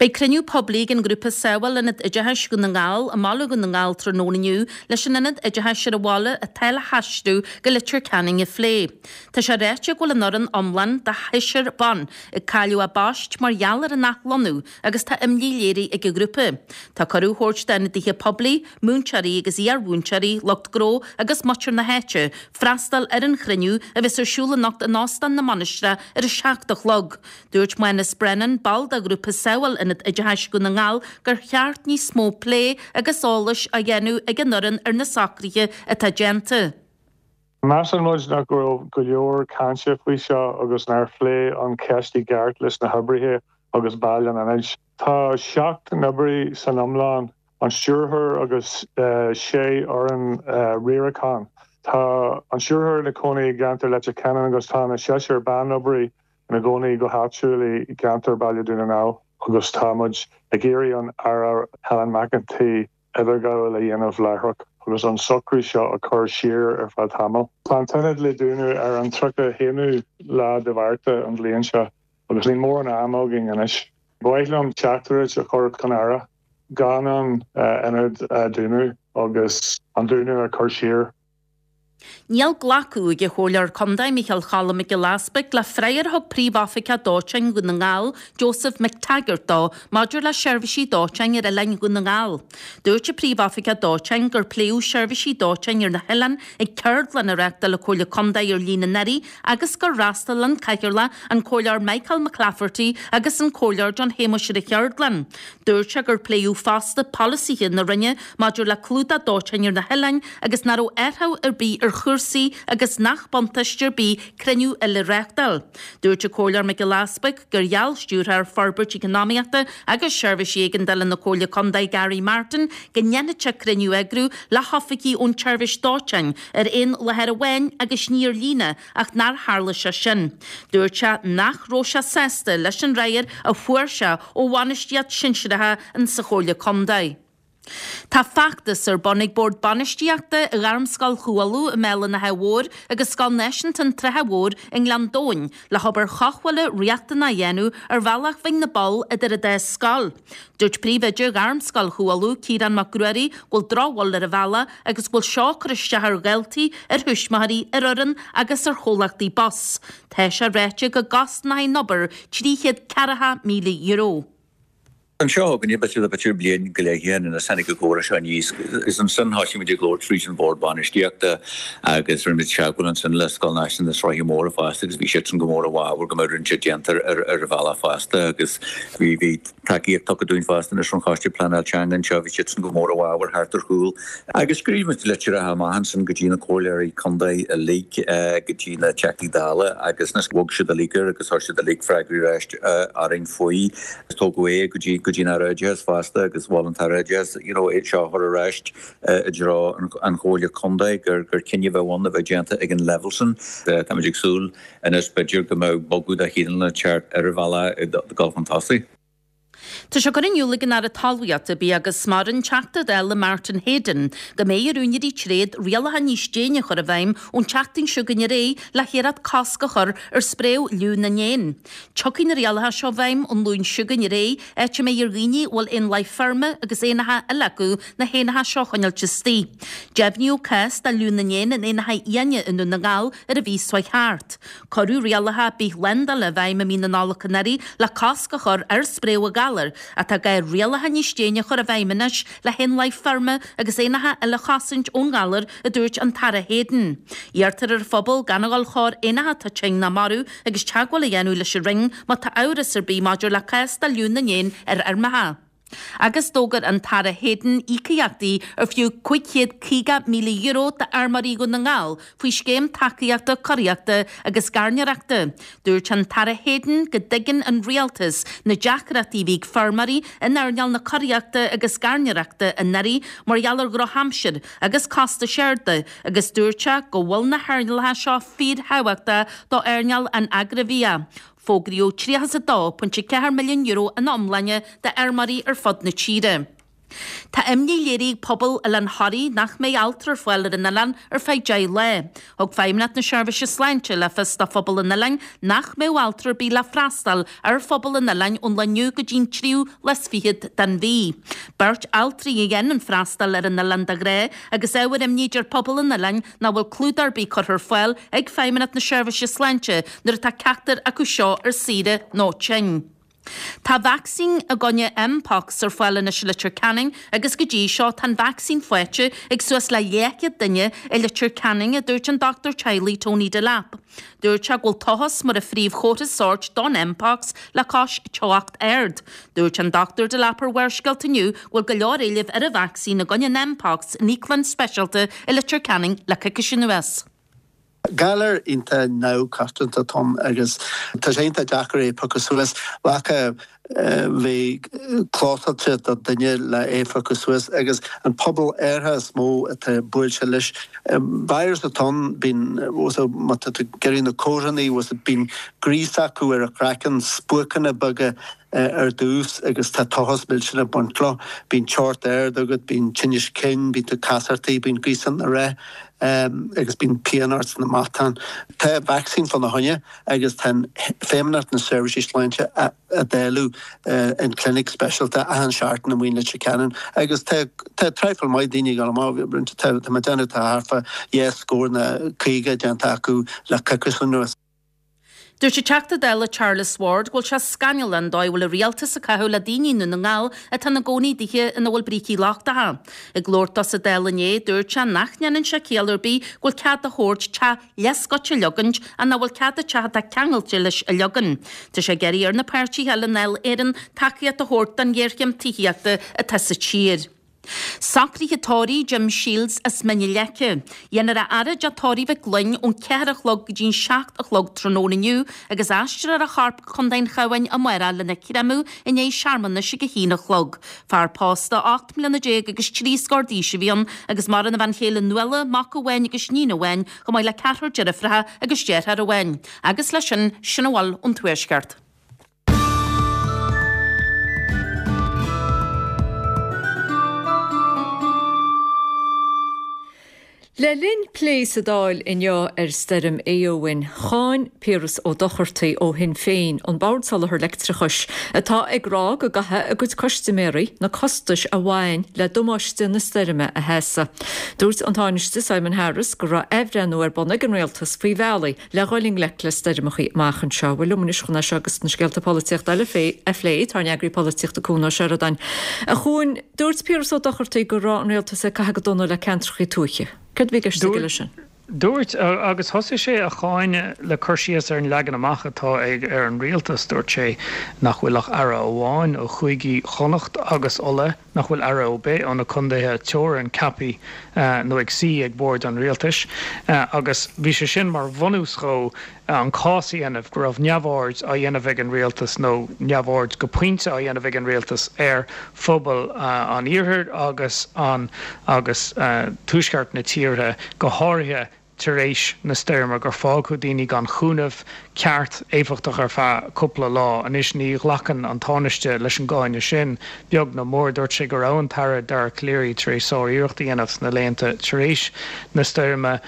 Beidh cruinniú poiblí ag an ngrúpa Sábháil Ionad Oideachais Dhún na nGall i mbaile Dhún na nGall tráthnóna inniu leis an ionad oideachais ar an bhaile atá le haistriú go Leitir Ceanainn a phlé. Tá sé ráite go bhfuil an fhoireann iomlán de sheisear ban ag cailleadh a bpoist mar gheall ar an athlonnú agus tá imní léirithe ag an ghrúpa. Tá cuireadh á thabhairt d'ionadaithe poiblí, múinteoirí agus iar-mhúinteoirí, lucht gnó agus muintir na háite freastal ar an chruinniú a bheas ar siúl anocht in Óstán na Mainistreach ar a seacht a chlog. Dúirt Mánas Brennan, ball de ghrúpa Sábháil Ionad Oideachais Dhún na nGall gur cheart níos mó plé agus eolais a dhéanamh ag an fhoireann ar na socruithe atá déanta. Measann muid nach raibh go leor cainte faoi seo agus nár phléadh an cheist i gceart leis na hoibrithe agus baill an ionaid. Tá seacht n-oibrí san iomlán, an stiúrthóir agus sé fhoireann riaracháin. Tá an stiúrthóir ina cónaí i gceantar Leitir Ceanainn agus tá na seisear ban-oibrí ina gcónaí go háitiúil i gceantar Baile Dhún na nGall agus tá muid ag iarraidh an Aire Helen McEntee idirghabháil a dhéanamh láithreach agus an socrú seo a chur siar ar feadh tamaill. Tá an t-ionad le dúnadh ar an tríocha haonú lá de Mhárta an bhliain seo agus níl mórán ama againn anois. Ba mhaith liom teachtaireacht a chur chun Aire gan an ionad a dúnadh agus an dúnadh a chur siar. Níl glactha ag an Chomhairleoir Contae Micheál Cholm Mac Giolla Easbuig le freagra a thug Príomhoifigeach Dóiteáin Dhún na nGall, Joseph McTaggart dó maidir le seirbhísí dóiteáin ar oileáin Dhún na nGall. Dúirt an Príomhoifigeach Dóiteáin gur pléadh seirbhísí dóiteáin ar na hoileáin ag ceardlann a reáchtáil an Chomhairle Contae ar líne anuraidh agus gur fhreastail an Cathaoirleach, an Comhairleoir Michael McClafferty agus an Comhairleoir John Shéamuis ar an cheardlann. Dúirt sé gur pléadh fosta polasaithe na Roinne maidir le clúdach dóiteáin ar na hoileáin agus nach raibh athrú ar bith ar chúrsaí agus nach buntáiste ar bith cruinniú eile a reáchtáil. Dúirt an Comhairleoir Mac Giolla Easbuig gur gheall Stiúrthóir Forbairt Eacnamaíochta agus Seirbhísí Éigeandála na Comhairle Contae Gary Martin go ndéanfadh sé cruinniú a eagrú le hoifigigh ón tseirbhís dóiteáin ar aon láthair amháin agus ní ar líne ach nár tharla sé sin. Dúirt sé nach raibh sé sásta leis an fhreagra a fuair sé ó bhainistíocht sinsearach insa Chomhairle Contae. Tá feachtas ar bun ag Bord Bainistíochta Ghairmscoil Chú Uladh i mBéal an Átha Mhóir agus Scoil Náisiúnta an tSratha Mhóir i nGleann Domhain le hobair chothabhála riachtanach a dhéanamh ar bhealach Bhinn na bPoll idir an dá scoil. Dúirt Príomhoide Ghairmscoil Chú Uladh, Ciarán Mac Ruairí, go bhfuil drochbhail ar an bhealach agus go bhfuil seo ag cur isteach ar dhaltaí, ar thuismitheoirí, ar fhoireann agus ar chomhlachtaí bus. Tá sé ráite go gcosnóidh an obair trí chéad ceathracha míle euro. Anseo againne, b'fhéidir b'fhéidir bliain go leith anois tháinig an comhrá seo aníos is ansin thosaigh muid ag labhairt tríd an bhord bainistíochta agus rinne muid teagmháil ansin le Scoil Náisiúnta na Sraithe Móire fosta agus bhí siadsan go mór i bhfabhar go mbeadh roinnt déanta ar ar an bhealach fosta agus bhí bhí tacaíocht tugtha dúinn fosta anois ón Choiste Pleanáil Teanga anseo, bhí siadsan go mór i bhfabhar thart ar chúl. Agus scríobh muid litreacha amach ansin go dtí na comhairleoirí contae uilig, go dtí na Teachtaí Dála agus bhog siad uilig air agus chuir siad uilig freagraí ar ais orainn faoi. Tógadh é go dtí go dtí an Aire Oideachais fosta agus mhol an tAire Oideachais you know é seo a chur ar ais i dtreo an Chomhairle Contae gur gur cinneadh a bheadh ann a bheith déanta ag an leibhéal sin. Táimid ag súil anois b'fhéidir go mbeadh bogadh de chineál inteacht ar an bhealach ag dul chun tosaigh. Tá sé curtha in iúl ag an Aire Talmhaíochta, Bia agus Mara, an Teachta Dála Martin Heydon, go mbeidh ar úinéirí tréad rialacha níos déine a chur i bhfeidhm ón tseachtain seo chugainn ar aghaidh le hiarracht cosc a chur ar spréadh fhliú na n-éan. Tiocfaidh na rialacha seo i bhfeidhm ón Luan seo chugainn ar aghaidh, áit a mbeidh ar dhaoine a bhfuil éanlaith feirme agus éanacha eile acu na héanacha seo a choinneáilt istigh. Deimhníodh cás de fhliú na n-éan in éanacha fiáine i nDún na nGall ar an mhí seo chuaigh thart. Cuireadh rialacha bithshlándála i bhfeidhm i mí na Nollag anuraidh le cosc a chur ar spréadh an ghalair ach tá gá rialacha níos déine a chur i bhfeidhm anois le héanlaith feirme agus éanacha eile a chosaint ón ghalar, a dúirt an tAire Heydon. Iarrtar ar an phobal gan a dhul chóir éanacha atá tinn ná marbh agus teagmháil a dhéanamh leis an Roinn má tá amhras ar bith maidir le cás de fhliú na n-éan ar fheirmeacha. Agus d'fhógair an tAire Heydon íocaíochtaí ar fiú cúig chéad caoga míle euro d'fheirmeoirí Dhún na nGall faoi scéim tacaíochta curaíochta agus gairneoireachta. Dúirt an tAire Heydon go dtuigeann an Rialtas na deacrachtaí a bhí ag feirmeoirí in earnáil na curaíochta agus gairneoireachta anuraidh mar gheall ar dhrochaimsir agus costais arda agus dúirt sé go bhfuil na hearnálacha seo fíorthábhachtach d'earnáil an agraibhia. Fógraíodh tríocha is a dó pointe ceathair milliún euro ina iomláine d'fheirmeoirí ar fud na tíre. Tá imní léirithe ag pobal Oileán Thoraí nach mbeidh altra ar fáil ar an oileán ar feadh deich lá. Thug Feidhmeannacht na Seirbhíse Sláinte le fios do phobal an oileáin nach mbeadh altra ar bith le freastal ar phobal an oileáin ón lá inniu go dtí an tríú lá is fichead den mhí. Beirt altraí a dhéanann freastal ar an oileán de ghnáth agus ábhar imní deir pobal an oileáin nach bhfuil clúdach ar bith curtha ar fáil ag Feidhmeannacht na Seirbhíse Sláinte nuair atá ceachtar acu seo ar saoire nó tinn. Tá vacsaín i gcoinne Mpox ar fáil anois i Leitir Ceanainn agus go dtí seo tá an vacsaín faighte ag suas le leathchéad duine i Leitir Ceanainn, a dúirt an dochtúir teaghlaigh Tony Delap. Dúirt sé go bhfuil tochas mar an phríomhchomhartha sóirt don Mpox le cois teocht ard. Dúirt an Dochtúir Delap ar Bharrscéalta inniu go bhfuil go leor éilimh ar an vacsaín i gcoinne an Mpox in íoclann speisialta i Leitir Ceanainn le coicís anuas. Galar iontach neamhchoitianta atá ann agus tá sé iontach deacair é a phiocadh suas. Bheadh bheith clósáilte do duine le é a phiocadh suas agus an pobal áirithe is mó atá buailte leis. Virus atá ann, bíonn má tá tú ag iarraidh na comharthaí, bíonn gríos acu ar a chraiceann, spuaiceanna beaga ar dtús agus tá tochas millteanach ag baint leo. Bíonn teocht ard agat, bíonn tinneas cinn, bíonn tú casartaí, bíonn gríosán na rith agus bíonn pian ort sna matáin. Tá vacsaín fána choinne agus tá Feidhmeannacht na Seirbhísí Sláinte á dáileadh in clinic speisialta achan seachtain amuigh in Leitir Ceanainn agus tá tá traidhfil maith daoine ag dul amach, tá mé ag déanamh tá thart fá dhá scór nó caoga déanta acu le coicís anuas. Dúirt an Teachta Dála Charles Ward go bhfuil sé scannalach an dóigh a bhfuil an rialtas ag caitheamh le daoine i nDún na nGall atá ina gcónaí i dtithe ina bhfuil brící lochtacha. Ag labhairt dó sa Dáil inné, dúirt sé nach ndéanann sé ciall ar bith go bhfuil cead a thabhairt teach leathscoite a leogaint ach nach bhfuil cead an teach atá ceangailte leis a leogan. Tá sé ag iarraidh ar na páirtithe eile i nDáil Éireann tacaíocht a thabhairt don ghéarchéim tithíochta atá sa tír. Socruithe tórraimh Jim Shields as Mín na Leice. Dhéanfar a fhaire i dteach tórraimh Mhic Fhloinn ón ceathair a chlog go dtí an seacht a chlog tráthnóna inniu agus aistreofar a chorp go Contae an Chabháin amárach lena chreimeadh i ndiaidh searmanais ag a haon a chlog. Fear pósta ocht mbliana déag agus trí scór d'aois a bhí ann agus maireann a bhean chéile Nuala, mac amháin agus níon amháin, chomh maith le ceathrar deirfiúracha agus deartháir amháin. Agus leis sin, sin a bhfuil ón Tuaisceart. Le linn plé sa Dáil inniu ar Stoirm Éowyn, cháin Piaras Ó Dochartaigh ó Shinn Féin an Bord Soláthair Leictreachais atá ag rá go gcaithfidh a gcuid custaiméirí na costais a bhain le damáiste na stoirme a sheasamh. Dúirt an Tánaiste Simon Harris go raibh athbhreithniú ar bun ag an rialtas faoi bhealaí le dhul i ngleic le stoirmeacha amach anseo. Bhuel liom anois chun é seo agus na scéalta polaitíochta eile a phlé tá ár n-eagraí polaitíochta Cuan Ó Seireadáin. A Chuain, dúirt Piaras Ó Dochartaigh go raibh an rialtas ag caitheamh go dona le ceantracha tuaithe. Cad a bhí i gceist aige leis sin? Dúirt, agus thosaigh sé a cháineadh le cur síos ar an leagan amach atá ag ar an rialtas, dúirt sé nach bhfuil ach aire amháin ó chúigí Chonnacht agus Uladh, nach bhfuil aire ar bith ó na contaetha teorann ceaptha nó ag suí ag bord an rialtais agus bhí sé sin mar bhunús dhó an cás a dhéanamh go raibh neamhaird á dhéanamh ag an rialtas nó neamhaird go pointe á dhéanamh ag an rialtas ar phobal an iarthair agus an agus tuaisceart na tíre go háirithe tar éis na stoirme gur fágadh daoine gan chúnamh ceart éifeachtach ar feadh cúpla lá. Anois ní ghlacann an Tánaiste leis an gcáineadh sin, beag ná mór. Dúirt sé go raibh an tAire Dara Calleary tar éis sár-iarracht a dhéanamh sna laethanta tar éis na stoirme.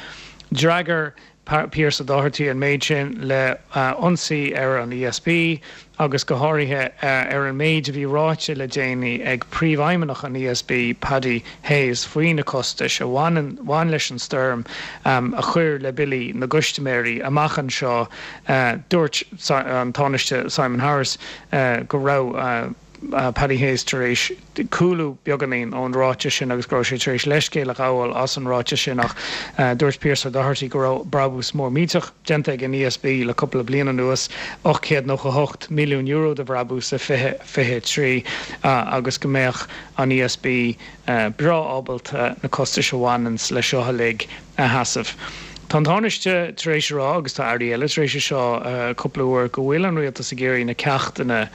D'fhreagair Pearse Doherty an méid sin le ionsaí ar an E S B agus go háirithe ar an méid a bhí ráite le déanaí ag príomhfheidhmeannach an E S B, Paddy Hayes, faoi na costais a bhaineann bhain leis an stoirm a chur le billí na gcustaiméirí amach anseo. Dúirt an Tánaiste Simon Harris go raibh Paddy Hayes tar éis cúlú beagáinín ón ráiteas sin agus go raibh sé tar éis leithscéal a ghabháil as an ráiteas sin ach dúirt Pearse Doherty go raibh brabús mór millteach déanta ag an E S B le cúpla bliain anuas, ocht chéad nócha a hocht milliún euro de bhrabús i fiche fiche trí, agus go mbeadh an E S B breá ábalta na costais a bhaineanns leis seo uilig a sheasamh. Tá an Tánaiste tar éis a rá, agus tá airí eile tar éis é seo cúpla uair, go bhfuil an rialtas ag iarraidh na ceachtanna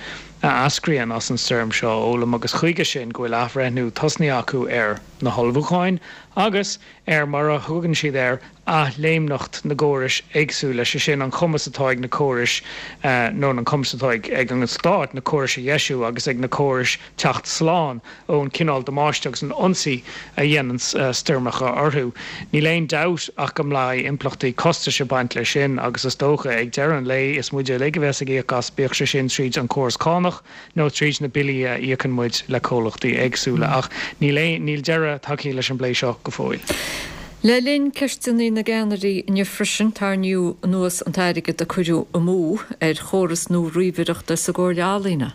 a eascraíonn as an stoirm seo a fhoghlaim agus chuige sin go bhfuil athbhreithniú tosnaithe acu ar na hullmhúcháin agus ar, mar a thugann siad air, athléimneacht na gcórais éagsúla, sé sin an cumas atá ag na córais nó an cumas atá ag an stát na córais a dheisiú agus ag na córais teacht slán ón cineál damáiste agus an ionsaí a dhéanann stoirmeacha orthu. Níl aon dabht ach go mbeidh impleachtaí costais ag baint leis sin agus is dócha ag deireadh an lae is muide uilig a bheas ag íoc as, bíodh sé sin tríd an córas cánach nó tríd na billí a íocann muid le comhlachtaí éagsúla. Ach níl aon níl deireadh tagtha leis an bplé seo go fóill. Le linn ceisteanna na gceannairí inniu freisin tarraingíodh anuas an t-airgead a cuireadh amú ar chóras nua ríomhaireachta sa gComhairle Ealaíona.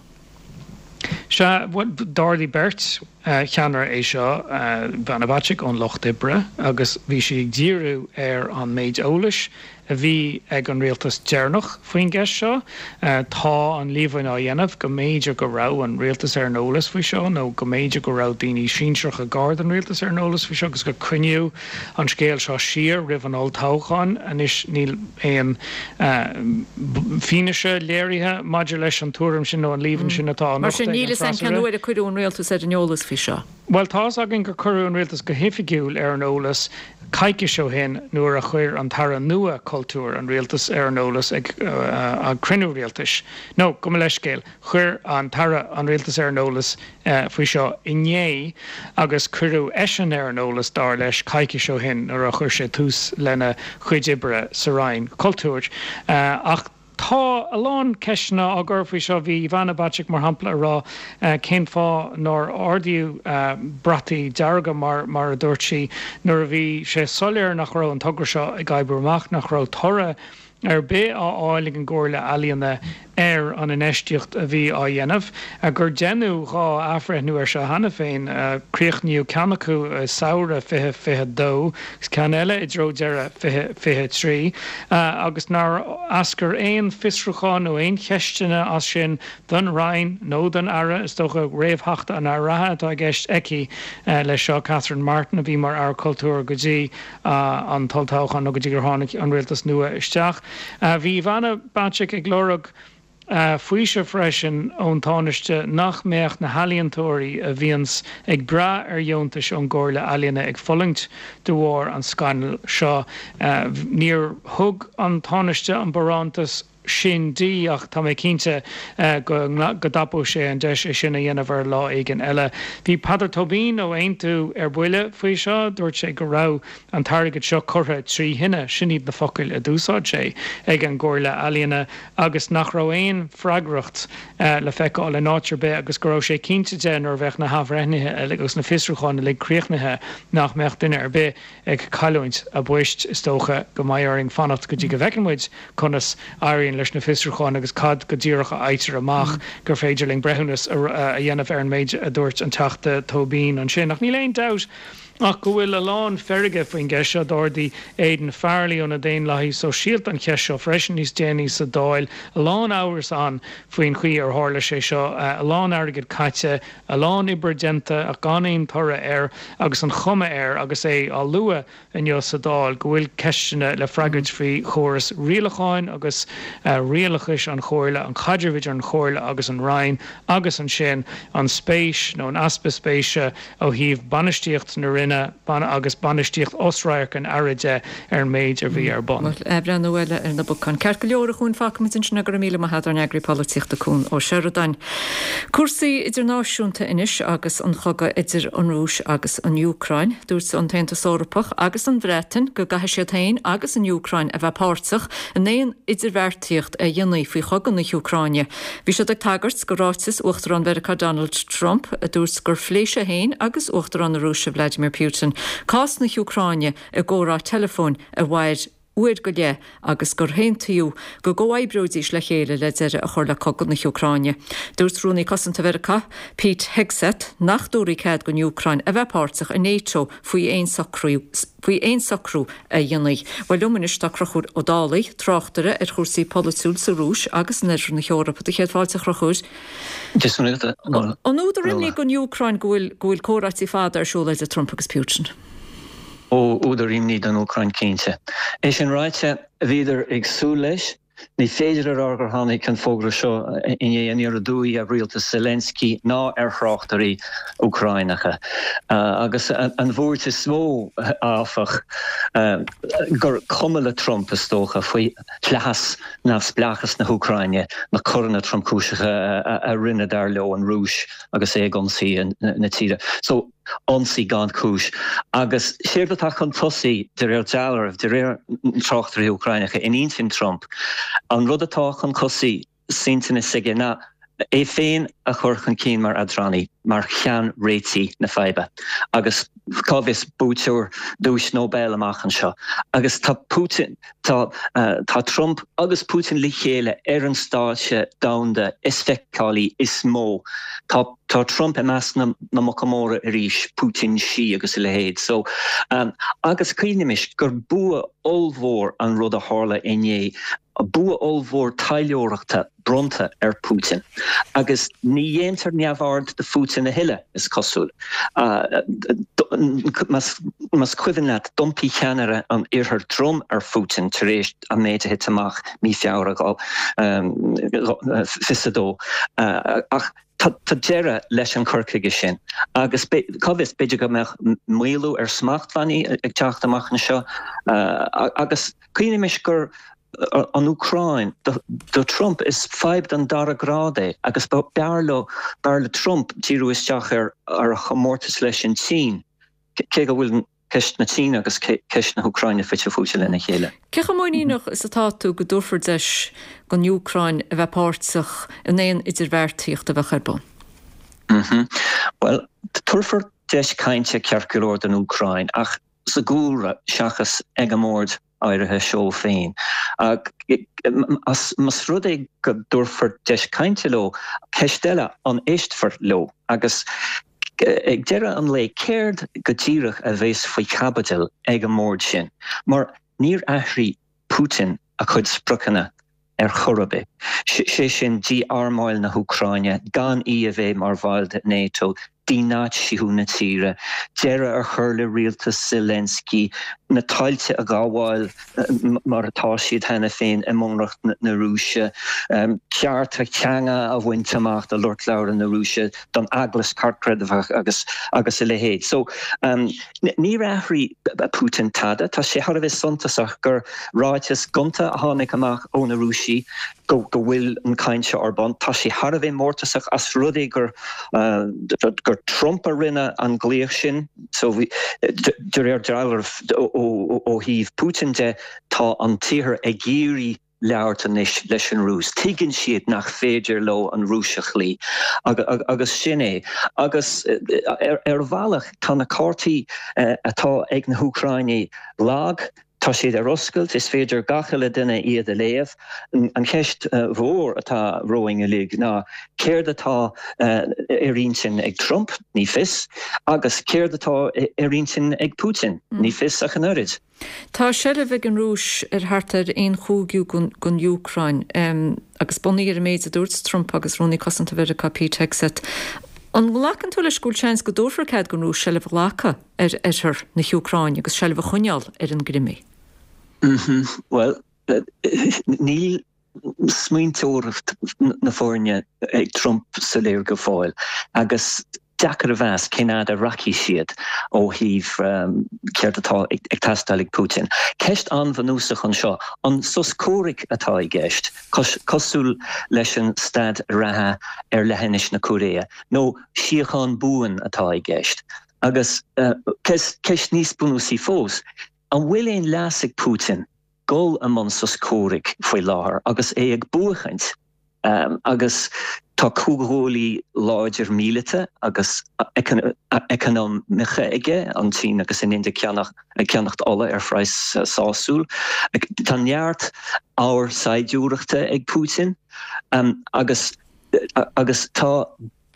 Sea, d'ardaigh beirt cheannaire é seo, Ivana Bacik ón Lucht Oibre agus bhí sí ag díriú ar an méid eolais a bhí ag an rialtas deireanach faoin gceist seo. Tá an líomhain á dhéanamh go mb'fhéidir go raibh an rialtas ar an eolas faoi seo nó go mb'fhéidir go raibh daoine sinsearacha gar don rialtas ar an eolas faoi seo agus gur coinníodh an scéal seo siar roimh an olltoghchán. Anois níl aon fianaise léirithe maidir leis an tuairim sin nó an líomhain sin atá á Mar sin nochtadh ag níl an fhios againn cén bhfreasúra. uair a cuireadh an rialtas ar an eolas faoi seo. Bhuel, tá's againn gur cuireadh an rialtas go hoifigiúil ar an eolas coicís ó shin nuair a chuir an tAire nua Cultúir an rialtas ar an eolas ag ag cruinniú rialtais. Nó, gabh mo leithscéal, chuir an tAire an rialtas ar an eolas faoi seo inné agus cuireadh eisean ar an eolas, dar leis, coicís ó shin nuair a chuir sé tús lena chuid oibre sa Roinn Cultúir. Ach tá a lán ceisteanna á gcur faoi seo. Bhí Ivana Bacik, mar shampla, ag rá cén fáth nár ardaíodh brataí dearga, mar mar a dúirt sí, nuair a bhí sé soiléir nach raibh an togra seo ag oibriú amach, nach raibh toradh ar bith á fháil ag an gComhairle Ealaíona ar an infheistíocht a bhí á dhéanamh, gur deineadh dhá athbhreithniú air seo cheana féin, críochnaíodh ceann acu i samhradh fiche fiche dó agus ceann eile i dtreo deireadh fiche fiche trí, agus nár eascair aon fiosrúchán nó aon cheisteanna as sin don Roinn nó don Aire, is dócha réamhtheachta an Aire reatha atá i gceist aici leis seo, Catherine Martin, a bhí mar Aire Cultúir go dtí an t-olltoghchán nó go dtí gur tháinig an rialtas nua isteach. Bhí Ivana Bacik ag lorg faoiseamh freisin ón Tánaiste nach mbeadh na healaíontóirí a bhíonns ag brath ar dheontais ón gComhairle Ealaíona ag fulaingt de bharr an scannail seo. Níor thug an Tánaiste an barántas sin di ach tá mé cinnte go go dtapóidh sé an deis é sin a dhéanamh ar lá éigin eile. Bhí Peadar Tóibín ó Aontú ar buile faoi seo, dúirt sé go raibh an t-airgead seo curtha trí thine, sin iad na focail a d'úsáid sé, ag an gComhairle Ealaíona agus nach raibh aon freagracht le feiceáil in áit ar bith agus go raibh sé cinnte de nuair a bheadh na hathbhreithnithe agus na fiosrúcháin uilig críochnaithe nach mbeadh duine ar bith ag cailliúint a bpoist. Is dócha go mbeidh orainn fanacht go dtí go bhfeiceann muid conas a éiríonn leis na fiosrúcháin agus cad go díreach a fhaightear amach gur féidir linn breithiúnas a dhéanamh ar an méid a dúirt an Teachta Tóibín ansin. Ach níl aon dabht ach go bhfuil a lán feirge faoin gceist seo. D'ardaigh Aidan Farrelly ó na Daonlathaithe Sóisialta an cheist seo freisin níos déanaí sa Dáil. A lán amhras ann faoin chaoi ar tharla sé seo. A lán airgid caite, a lán oibre déanta ach gan aon toradh air agus an chuma air agus é á lua inniu sa Dáil go bhfuil ceisteanna le freagairt faoi chóras rialacháin agus rialachais an Chomhairle, an caidreamh idir an Chomhairle agus an Roinn agus ansin an spéis nó an easpa spéise ó thaobh bainistíocht na Roinne agus bainistíocht os radharc an Aire de ar an méid a bhí ar bun. Bhuel, breathnú eile ar na bacáin. Ceart go leor, a Chuain, fágfaimid ansin é, go raibh míle maith agat, ár n-eagraí polaitíochta Cuan Ó Seireadáin. Cúrsaí idirnáisiúnta anois agus an chogadh idir an Rúis agus an Úcráin. Dúirt an tAontas Eorpach agus an Bhreatain go gcaithfidh siad féin agus an Úcráin a bheith páirteach in aon idirbheartaíocht a dhéanfaí faoi chogadh na hÚcráine. Bhí siad ag tagairt do ráiteas Uachtarán Mheiriceá Donald Trump a dúirt gur phléigh sé féin agus Uachtarán na Rúise Vladimir Putin cás na hÚcráine i gcomhrá teileafóin a mhair uair go leith agus gur aontaíodh go gcomhoibreoidís le chéile le deireadh a chur le cogadh na hÚcráine. Dúirt Rúnaí Cosanta Mheiriceá, Pete Hegseth, nach dtabharfaí cead don Úcráin a bheith páirteach i NATO faoi aon socrú faoi aon socrú a dhéanfaí. Bhuel liom anois tá Conchúr Ó Dálaigh, tráchtaire ar chúrsaí polaitiúil sa Rúis agus in oirthear na hEorpa. Do chéad fáilte a Chonchúir. An údar imní don Úcráin go bhfuil go bhfuil comhráití fada ar siúl idir Trump agus Putin? Ó, údar imní don Úcráin cinnte. É sin ráite, bhíodar ag súil leis. Ní féidir a rá gur tháinig an fógra seo inné aniar aduaidh ar rialtas Zelensky ná ar thráchtairí Úcránacha. Agus an bhuairt is mó, áfach, gur cuma le Trump, is dócha, faoi dhleathas neamhspleáchas na hÚcráine, na coireanna tromchúiseacha a rinne, dar leo, an Rúis agus é ag ionsaí na tíre. So, ionsaí gan chúis. Agus séard atá chun tosaigh, de réir dealraimh, de réir tráchtairí Úcránacha, in intinn Trump, an rud atá chun tosaigh san intinn s'aige ná é féin a chur chun cinn mar eadránaí, mar cheann réitigh na faidhbe agus cá bhfios buaiteoir duais Nobel amach anseo. Agus tá Putin, tá tá Trump agus Putin le chéile ar an stáitse domhanda is feiceálaí is mó. Tá tá Trump i measc na na muca móra arís, Putin, Xi agus a leithéid. So um, agus cuimhnímis gur bua ollmhór an rud a tharla inné, bua ollmhór taidhleoireachta bronnta ar Putin. Agus ní dhéantar neamhaird de Phutin a thuilleadh, is cosúil. Más cuimhin leat, d'iompaigh ceannaire an Iarthair droim ar Phutin tar éis an méid a thit amach mí Feabhra dhá fiche a dó. Ach tá deireadh leis an chur chuige sin. Agus cá bhfios, b'fhéidir go mbeadh maolú ar smachtbhannaí ag teacht amach anseo. Agus cuimhnímis gur an Úcráin do Trump, is fadhb den dara grád é agus b'fhearr leo, b'fhearr le Trump díriú isteach ar a chomórtas leis an tSín, cé go bhfuil ceist na Síne agus ceist na hÚcráine fite fuaite lena chéile. Cé chomh muiníneach is atá tú go dtabharfar deis don Úcráin a bheith páirteach in aon idirbheartaíocht a bheadh ar bun? Bhuel, tabharfar deis cainte ceart go leor don Úcráin ach sa gcúlra seachas ag an mbord áirithe seo féin. Más rud é go dtabharfar deis cainte leo, ceist eile an éistfear leo agus ag deireadh an lae céard go díreach a bheas faoi chaibidil ag an mbord sin? Mar níor athraigh Putin a chuid spriocanna ar chor ar bith, sé sin dí-armáil na hÚcráine, gan í a bheith mar bhall de NATO, dí-Naitsíú na tíre, deireadh a chur le rialtas Zelensky, na tailte a ghabháil mar atá siad cheana féin i mbunreacht na Rúise, cearta teanga a bhaint amach do lucht labhartha na Rúise, don Eaglais Cheartchreidmheach agus agus a leithéid. So níor athraigh Putin tada. Tá sé thar a bheith suntasach gur ráiteas gonta a tháinig amach ó na Rúisigh go go bhfuil an chaint seo ar bun. Tá sé thar a bheith mórtasach as rud é gur gur Trump a rinne an glaoch sin. So bhí de réir dealraimh ó thaobh Putin de tá an tIarthar ag iarraidh labhairt anois leis an Rúis. Tuigeann siad nach féidir leo an Rúis a chloí agus sin é. Agus ar bhealach tá na cártaí atá ag na hÚcráinigh lag, tá siad ar oscailt, is féidir gach uile duine iad a léamh. An cheist mhór atá romhainn uilig ná céard atá ar intinn ag Trump? Ní fios. Agus céard atá ar intinn ag Putin? Ní fios ach an oiread. Tá seilbh ag an Rúis ar thart ar aon chúigiú den Úcráin, agus bunaithe ar an méid a dúirt Trump agus Rúnaí Cosanta Mheiriceá Pete Hegseth, an nglacann tú leis go bhfuil seans go dtabharfar cead don Rúis seilbh a ghlacadh ar oirthear na hÚcráine agus seilbh a choinneáil ar an gCrimé? Bhuel, níl smaointeoireacht na foirne ag Trump soiléir go fóill agus deacair a mheas cén fhad a rachaidh siad ó thaobh céard atá ag teastáil ag Putin. Ceist an-bhunúsach anseo, an sos comhraic atá i gceist, cosúil leis an staid reatha ar leithinis na Cóiréa, nó síocháin buan atá i gceist? Agus ceist níos bunúsaí fós, an bhfuil aon leas ag Putin dul i mbun sos comhraic faoi láthair agus é ag buachaint agus tá comhghuaillí láidir míleata agus eacnamaíocha aige, an tSín agus an Ind ag ceannacht ola ar phraghas sásúil. Tá neart ábhar saighdiúireachta ag Putin agus agus tá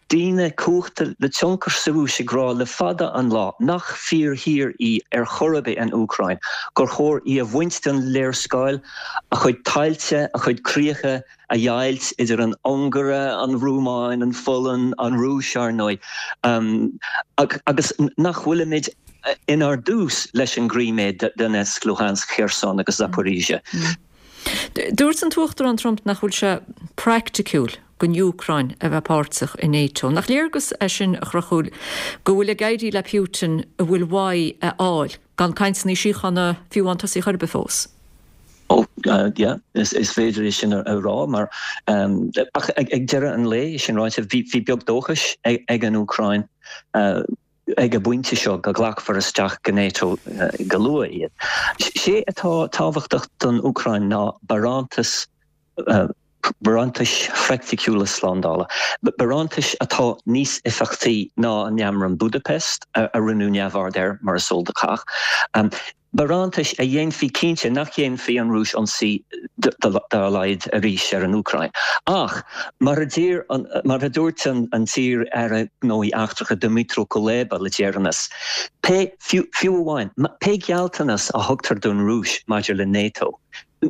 daoine cumhachta le tionchar sa Rúis ag rá le fada an lá nach fíorthír í ar chor ar bith an Úcráin, gur chóir í a bhaint den léarscáil, a chuid tailte, a chuid críocha a dheighilt idir an Ungáir, an Rúmáin, an Pholainn, an Rúis, ar ndóigh, agus nach bhfuilimid inár dtús leis an gCrimé, Donetsk, Luhansk, Kherson agus Zaporizhia. Dúirt an tUachtarán Trump nach bhfuil sé praiticiúil don Úcráin a bheith páirteach i NATO. Nach léargas é sin, a Chonchúir, go bhfuil ag éirí le Putin a bhfuil uaidh a fháil, gan cainteanna síochána fiú amháin tosaithe chor ar bith fós? Ó, yeah, is féidir é sin a rá mar ach ag deireadh an lae, sin ráite, bhí beag dóchais ag an Úcráin ag an bpointe seo go nglacfar isteach go NATO go luath iad. Sé atá tábhachtach don Úcráin ná barántas Barántais phraiticiúla slándála. Barántais atá níos éifeachtaí ná an Meamram Budapest a rinneadh neamhaird air mar is eol do chách. Barántais a dhéanfaí cinnte nach dhéanfaí an Rúis ionsaí dá laghad arís ar an Úcráin. Ach mar a deir mar a dúirt an t-iar-aire gnóthaí eachtracha Dmytro Kuleba le deireanas, pé fiú amháin pé gealltanas a thugtar don Rúis maidir le NATO,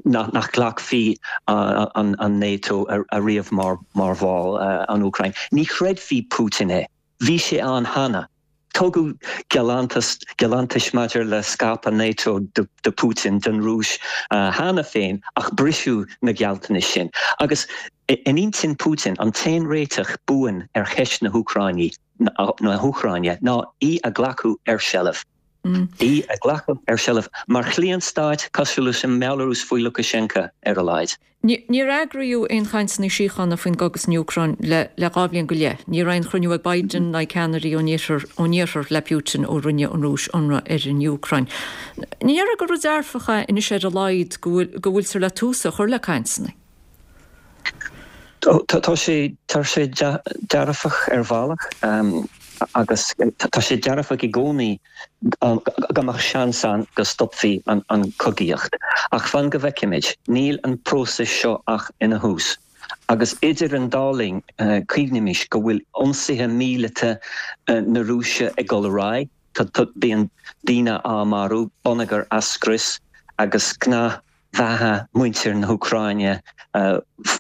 nach nglacfaí an NATO ariamh mar mar bhall an Úcráin. Ní chreidfí Putin é. Bhí sé ann cheana. Tugadh gealltanais gealltanais maidir le scaipeadh NATO do Putin don Rúis cheana féin ach briseadh na gealltanais sin. Agus in intinn Putin an t-aon réiteach buan ar cheist na hÚcráine na hÚcráine ná í a ghlacadh ar seilbh. Í a ghlacadh ar seilbh mar chliantstát cosúil leis an mBealarúis faoi Lukashenko ar a laghad. Níor eagraíodh aon chainteanna síochána faoin gcogadh san Úcráin le le dhá bhliain go leith. Ní raibh aon chruinniú ag Biden ná ag ceannairí ón iarthar ón iarthar le Putin ó rinne an Rúis ionradh ar an Úcráin. Ní déarfá gur rud dearfach é anois ar a laghad go bhfuil go bhfuiltear le tús a chur le cainteanna. Tá sé tá sé dearfach ar bhealach agus tá sé dearfach i gcónaí go mbeadh seans ann go stopfaí an an cogaíocht. Ach fan go bhfeicfimid, níl an próiseas seo ach ina thús. Agus idir an dá linn cuimhnímis go bhfuil ionsaithe míleata na Rúise ag dul ar aghaidh, bíonn daoine á marú, bonneagar á scrios agus gnáth bheatha muintir na hÚcráine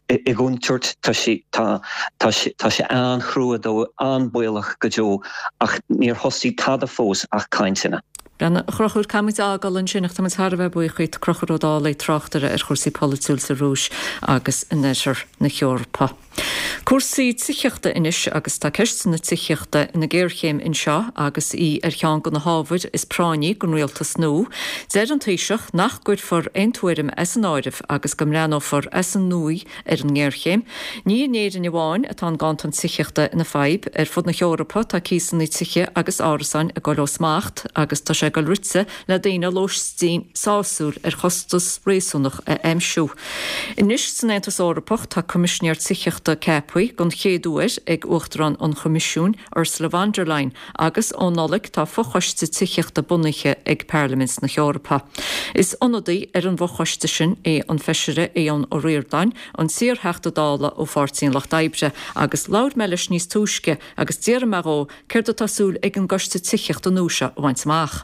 i gcontúirt. Tá sé tá tá sé tá sé an-chrua dóibh, an-bhaolach go deo ach níor thosaigh tada fós ach cainteanna. Bhuel, a Chonchúir, caithfimid a fhágáil ansin ach táimid thar a bheith buíoch díot, Conchúr Ó Dálaigh, tráchtaire ar chúrsaí polaitiúil sa Rúis agus in oirthear na hEorpa. Cúrsaí tithíochta anois agus tá ceist na tithíochta ina géarchéim anseo agus í ar cheann de na hábhair is práinní don rialtas nua. Deir an Taoiseach nach gcuirfear aon tuairim as an áireamh agus go mbreathnófar as an nua ar an ngéarchéim. Ní in Éirinn amháin atá an ganntan tithíochta ina fadhb, ar fud na hEorpa tá cíosanna tithe agus árasáin ag dul ó smacht agus tá sé ag dul rite le daoine lóistín sásúil ar chostas réasúnach a aimsiú. Anois san Aontas Eorpach tá Coimisinéir Tithíochta ceaptha den chéad uair ag Uachtarán an Choimisiúin Ursula von der Leyen agus ó Nollaig tá fochoiste tithíochta bunaithe ag Parlaimint na hEorpa. Is ionadaí ar an bhfochoiste sin é an feisire Aodhán Ó Ríordáin, an t-iarTheachta Dála ó Pháirtí an Lucht Oibre, agus labhair mé leis níos túisce agus d'fhiafraigh mé dhó céard atá súil ag an gcoiste tithíochta nua seo a bhaint amach.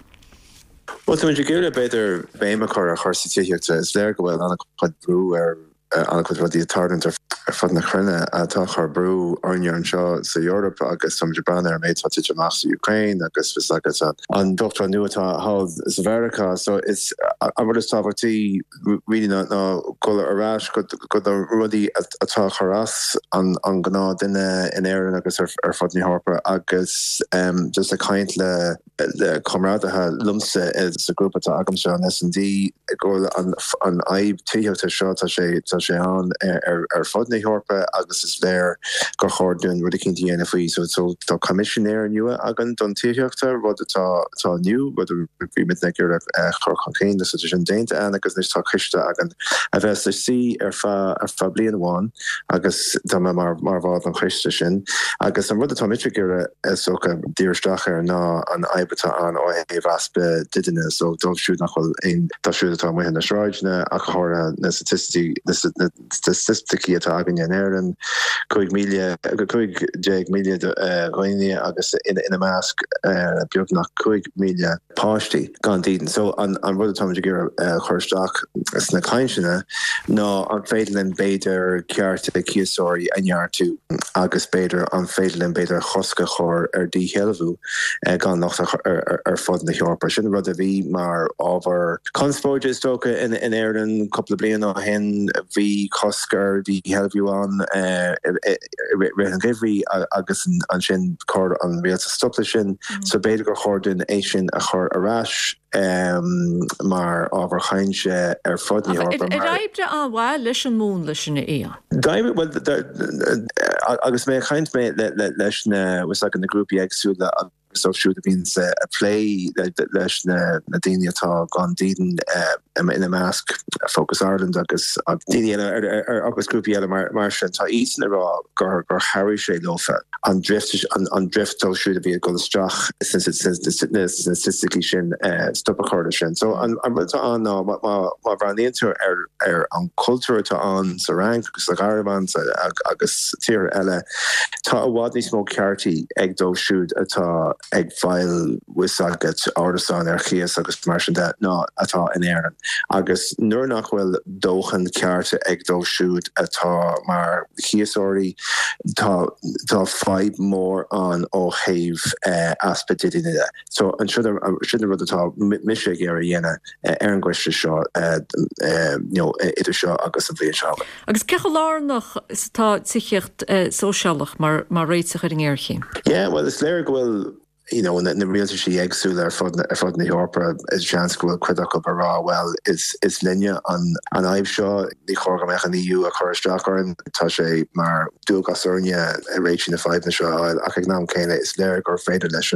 Well tá muid ag iarraidh b'fhéidir béim a chur ar chúrsaí tithíochta is léir go bhfuil an-chuid brú ar an-chuid rudaí ag tarlúint ar fud na cruinne atá ag cur brú orainne anseo sa Eoraip agus táimid ag breathnú ar an méid atá tite amach sa Ukraine agus fios agus an t-uachtarán nua atá thall sa Mheiriceá so is an rud is tábhachtaí really ná ná dul ar ais go go na rudaí atá ag cur as an an gnáthduine in Éirinn agus ar ar fud na hEorpa agus um, just ag caint le le comrádaithe liomsa sa grúpa atá agamsa an S&D go bhfuil an an fhadhb tithíochta seo tá sé tá sé ann ar ar fud na hEorpa agus is léir gur chóir dúinn rud eicínt a dhéanamh faoi so so tá coimisinéir nua againn don tithíochta rud atá atá nua rud a bhí muid ag iarraidh chur chun cinn so tá sin déanta ann agus anois tá coiste againn a bheas ag suí ar feadh ar feadh bliain amháin agus tá mé mar mar bhall den choiste sin agus an rud atá muid ag iarraidh is dócha díriú isteach air ná an fhadhb atá ann ó thaobh easpa dídine so dóibh siúd nach bhfuil aon dóibh siúd atá amuigh na sráideanna ach go háirithe na staitisticí na staitisticí atá againn in Éirinn cúig míle go cúig déag míle dhaoine agus ina ina measc beagnach cúig míle páistí gan dídean. So an an rud atáimid ag iarraidh chur isteach sna cainteanna ná an féidir linn b'fhéidir cearta cíosóirí a neartú agus b'fhéidir an féidir linn b'fhéidir cosc a chur ar díshealbhú gan locht ar ar fud na hEorpa. Sin rud a bhí mar ábhar conspóide is dócha in in Éirinn cúpla bliain ó shin bhí cosc ar díshealbhú ann rith an gheimhridh agus ansin chuir an rialtas stop leis sin, so b'fhéidir gur chóir dúinn é sin a chur ar ais um, mar ábhar cainte ar fud na hEorpa. Ar oibrigh an-mhaith leis an múnla sin a Aodháin. Well, agus mé ag caint mé leis na na grúpaí éagsúla agus dóibh siúd a bhíonn ag plé leis na daoine atá gan dídean ina measc Focus Ireland agus daoine eile agus grúpaí eile mar sin tá iadsan ag rá gur gur chabhraigh sé leofa an drift an drift dóibh siúd a bhí ag dul isteach sna staitisticí sin stop a chur leis sin. So an rud atá ann ná má bhreathnaíonn tú ar ar an cultúr atá ann sa Fhrainc agus sa Ghearmáin agus tíortha eile, tá i bhfad níos mó ceartaí ag dóibh siúd atá ag fáil bhfuil a fhios agat árasán ar chíos agus mar sin de ná atá in Éirinn. Agus nuair nach bhfuil dóthain cearta ag dóibh siúd atá mar chíosóirí, tá tá fadhb mór ann ó thaobh easpa dídine de. So an sin an rud atá mise ag iarraidh a dhéanamh ar an gcoiste seo you know idir seo agus an bhliain seo chugainn. Agus cé chomh lárnach is atá tithíocht sóisialach mar mar réiteach ar an ngéarchéim? Yeah, well is léir go bhfuil you know, na, na rialtaisí éagsúla ar fud ar fud na hEorpa is seans go bhfuil cuid acu ag rá well is is linne an an fhadhb seo ní chóir go mbeadh an EU ag cur isteach orainn tá sé mar dualgas orainne réiteach na fadhbanna seo a fháil ach ag an am céanna is léir gur féidir leis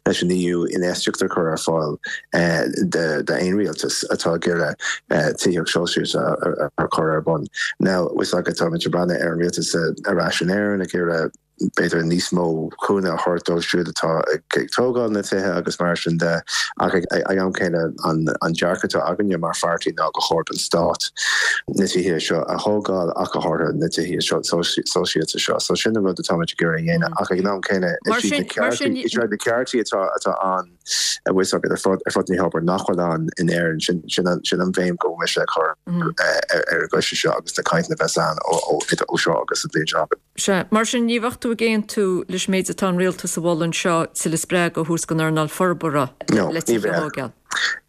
leis an EU infheistíocht a chur ar fáil eh, d'aon rialtas atá ag iarraidh eh, tithíocht shóisialta a chur ar bun. Now bhfuil a fhios agat táimid ag breathnú ar an rialtas ar ais in Éirinn ag iarraidh b'fhéidir níos mó cúnamh a thabhairt dóibh siúd atá ag tógáil na tithe agus mar sin de ach ag an am céanna an an dearcadh atá againne mar pháirtí ná go chóir don stát na tithe seo a thógáil ach go háirithe na tithe seo sóisialta seo. So sin an rud atáimid ag iarraidh a dhéanamh ach ag an am céanna is iad na ceartaí is iad na ceartaí atá atá ann a bhfuil a fhios agat ar fud ar fud na hEorpa nach bhfuil ann in Éirinn sin sin an sin an bhéim go bhfuil mise ag cur ar an gcoiste seo agus na cainteanna a bheas ann ó ó ó seo agus an bhliain seo. Sea, mar sin ní bheadh tú ag aontú leis an méid atá an rialtas a mholadh anseo tuilleadh spreagadh a thabhairt don earnáil forbartha le tithe a thógáil.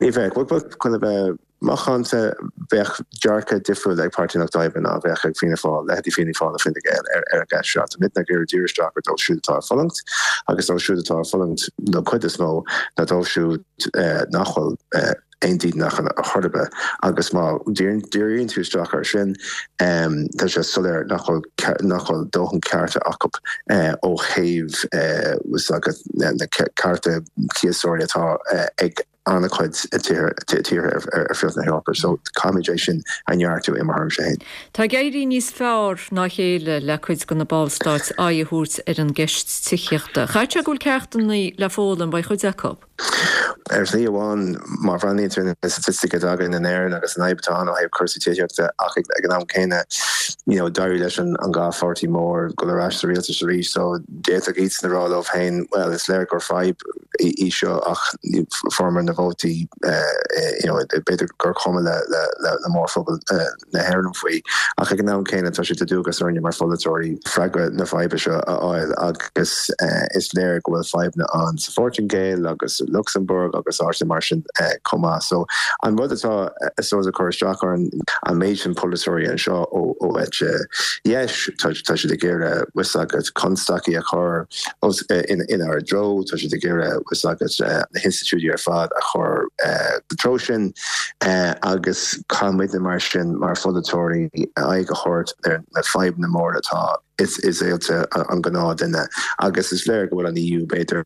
Ní bheadh. Bhuel, chun a bheith macánta, bheadh dearcadh difriúil ag Páirtí an Lucht Oibre ná a bheadh ag Fianna Fáil, leithéidí Fianna Fáil nó Fine Gael ar ar an gceist seo. Táimidne ag iarraidh díriú isteach ar dóibh siúd atá ag fulaingt agus dóibh siúd atá ag fulaingt nó cuid is mó ná dóibh siúd nach bhfuil aon dídean acu ar chor ar bith agus má dhíríonn tú isteach air sin tá sé soiléir nach bhfuil nach bhfuil dóthain cearta acu ó thaobh bhfuil a fhios agat na cearta cíosóirí atá ag an-chuid tíortha ar fud na hEorpa. So caithfimid é sin a neartú i mo thuairimse féin. Tá ag éirí níos fearr ná a chéile le cuid de na ballstáit aghaidh a thabhairt ar an gceist tithíochta. Chaithfeadh sé go bhfuil ceachtanna le foghlaim ó chuid acu. Ar shlí amháin, má bhreathnaíonn tú ar na staitisticí atá againn in Éirinn agus an fhadhb atá ann ó thaobh cúrsaí tithíochta ach ag an am céanna, you know, d'éirigh leis an dhá pháirtí mór dul ar ais sa rialtas arís so d'fhéadfadh iadsan a rá leo féin, well, is léir gur fadhb í seo ach fuaireamar na vótaí, you know, b'fhéidir gur cuma le le mórphobal na hÉireann faoi. Ach ag an am céanna tá sé de dualgas orainne mar pholaiteoirí freagra na faidhbe seo a fháil agus is léir go bhfuil fadhbanna ann sa Phortaingéil agus Lucsamburg agus áiteanna mar sin chomh maith. So an rud atá is dócha ag cur isteach orainn an méid sin polaiteoirí anseo ó ó eite dheis, tá tá siad ag iarraidh bhfuil a fhios agat constaicí a chur os in inár dtreo, tá siad ag iarraidh bhfuil a fhios agat na hinstitiúidí ar fad a chur sa treo sin agus caithfidh muidne mar sin mar pholaiteoirí aghaidh a thabhairt ar na fadhbanna móra atá i saolta an ghnáthduine agus is léir go bhfuil an EU b'fhéidir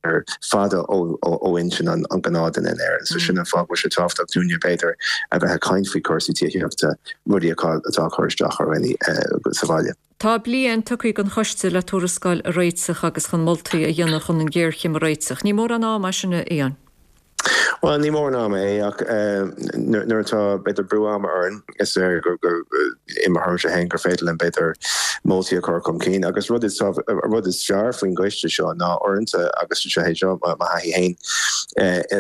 fada ó intinn an ghnáthduine in Éirinn. So sin an fáth go bhfuil sé tábhachtach dúinne b'fhéidir a bheith ag caint faoi chúrsaí tithíochta, rudaí atá ag cur isteach ar dhaoine sa bhaile. Tá bliain tugtha don choiste le tuarascáil a réiteach agus chun moltaí a dhéanamh chun an ghéarchéim a réiteach. Ní mórán ama é sin, a Fhionn. Bhuel, ní mórán ama é ach nuair atá b'fhéidir brú ama orainn, is léir gur i mo thuairimse féin gur féidir linn b'fhéidir moltaí a chur chun cinn. Agus rud is rud is fearr faoin gcoiste seo ná uaireanta, agus is é seo mo thaithí féin,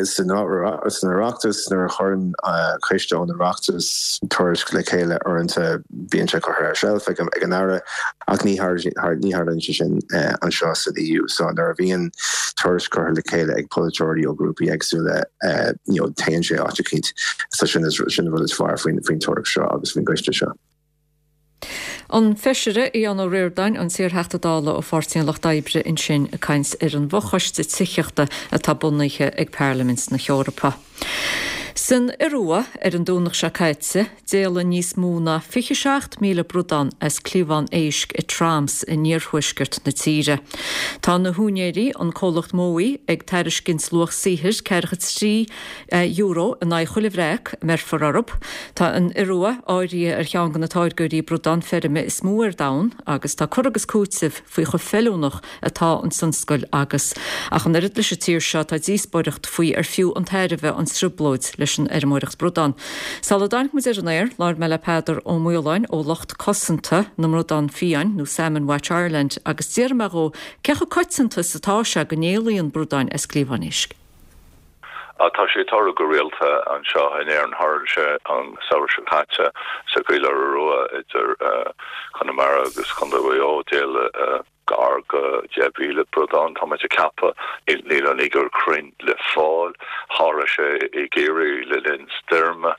san Oireachtas nuair a chuireann coiste ón Oireachtas tuairisc le chéile uaireanta bíonn sé curtha ar shelf ag an Aire ach ní tharlaíonn sé sin anseo san EU. So nuair a bhíonn tuairisc curtha le chéile ag polaiteoirí ó ghrúpaí éagsúla you know, téann sé áit eicínt. So sin sin an rud is fearr faoin faoin tuairisc seo agus faoin gcoiste seo. An Feisire Aodhán Ó Ríordáin, an t-iarTheachta Dála ó Pháirtí an Lucht Oibre ansin ag caint ar an bhfochoiste tithíochta atá bunaithe ag Parlaimint na hEorpa. San Iorua ar an Domhnach seo caite, d'éalaigh níos mó ná fiche seacht míle bradán as cliabhán éisc i Troms in iarthuaisceart na tíre. Tá na húinéirí, an comhlacht Mowi, ag tairiscint luach saothair ceathracha trí euro in aghaidh chuile bhreac a mbeirfear orthu. Tá an Iorua áirithe ar cheann de na táirgeoirí bradán feirme is mó ar domhan agus tá cur agus cúiteamh faoi chomh feiliúnach atá an tionscal agus ach an oiread leis an tír seo tá díospóireacht faoi ar fiú an tairbhe an trioblóid leis an fheirmeoireacht bradán. Sula dtáinig muid ar an aer, labhair mé le Peadar Ó Maoláin ó lucht cosanta na mbradán fiáin nó Salmon Watch Ireland agus d'iarr mé dhó cé chomh coitianta is atá sé go n-éalaíonn bradáin as cliabháin éisc. Tá sé ag tarlú go rialta anseo in Éirinn. Tharla sé an samhradh seo caite sa Chaoláire Rua idir Conamara agus Contae Mhaigh Eo. D'éalaigh gar go deich mhíle bradán, tá muid ag ceapadh. Níl an fhigiúr cruinn le fáil. Tharla sé i gCiarraí le linn stoirme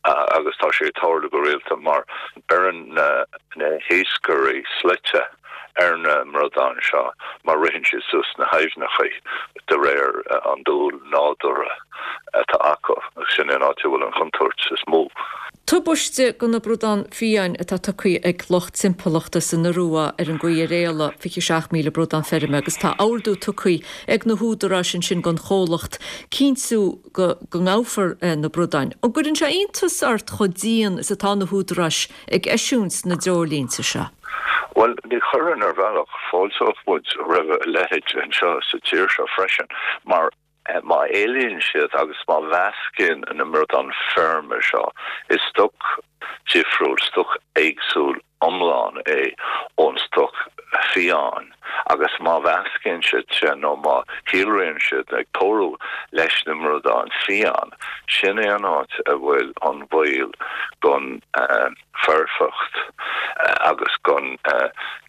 agus tá sé ag tarlú go rialta mar beireann na hiascairí sluaite ar na mbradáin seo mar ritheann siad suas na haibhneacha de réir an dúil nádúrtha atá acu agus sin é an áit a bhfuil an chontúirt is mó. Tubaiste do na bradáin fiáin atá tugtha ag lucht timpeallachta san Iorua ar an gcaoi ar éalaigh fiche seacht míle bradán feirme agus tá ordú tugtha ag na húdaráis ansin don chomhlacht cinntiú go ngabhfar na bradáin. An gcuireann sé iontas ort chomh dian is atá na húdaráis ag eisiúint na dtreoirlínte seo? Bhuel, ní chuireann ar bhealach. Fáilteodh muid roimh a leithéid anseo sa tír seo freisin mar má éalaíonn siad agus má mheascann na bradáin feirme seo, is stoc difriúil, stoc éagsúil iomlán é ón stoc fiáin agus má mheascann siad sin nó má shíolraíonn siad ag pórú leis na mbradáin fiáin, sin é an áit a bhfuil an baol don foirfeacht agus don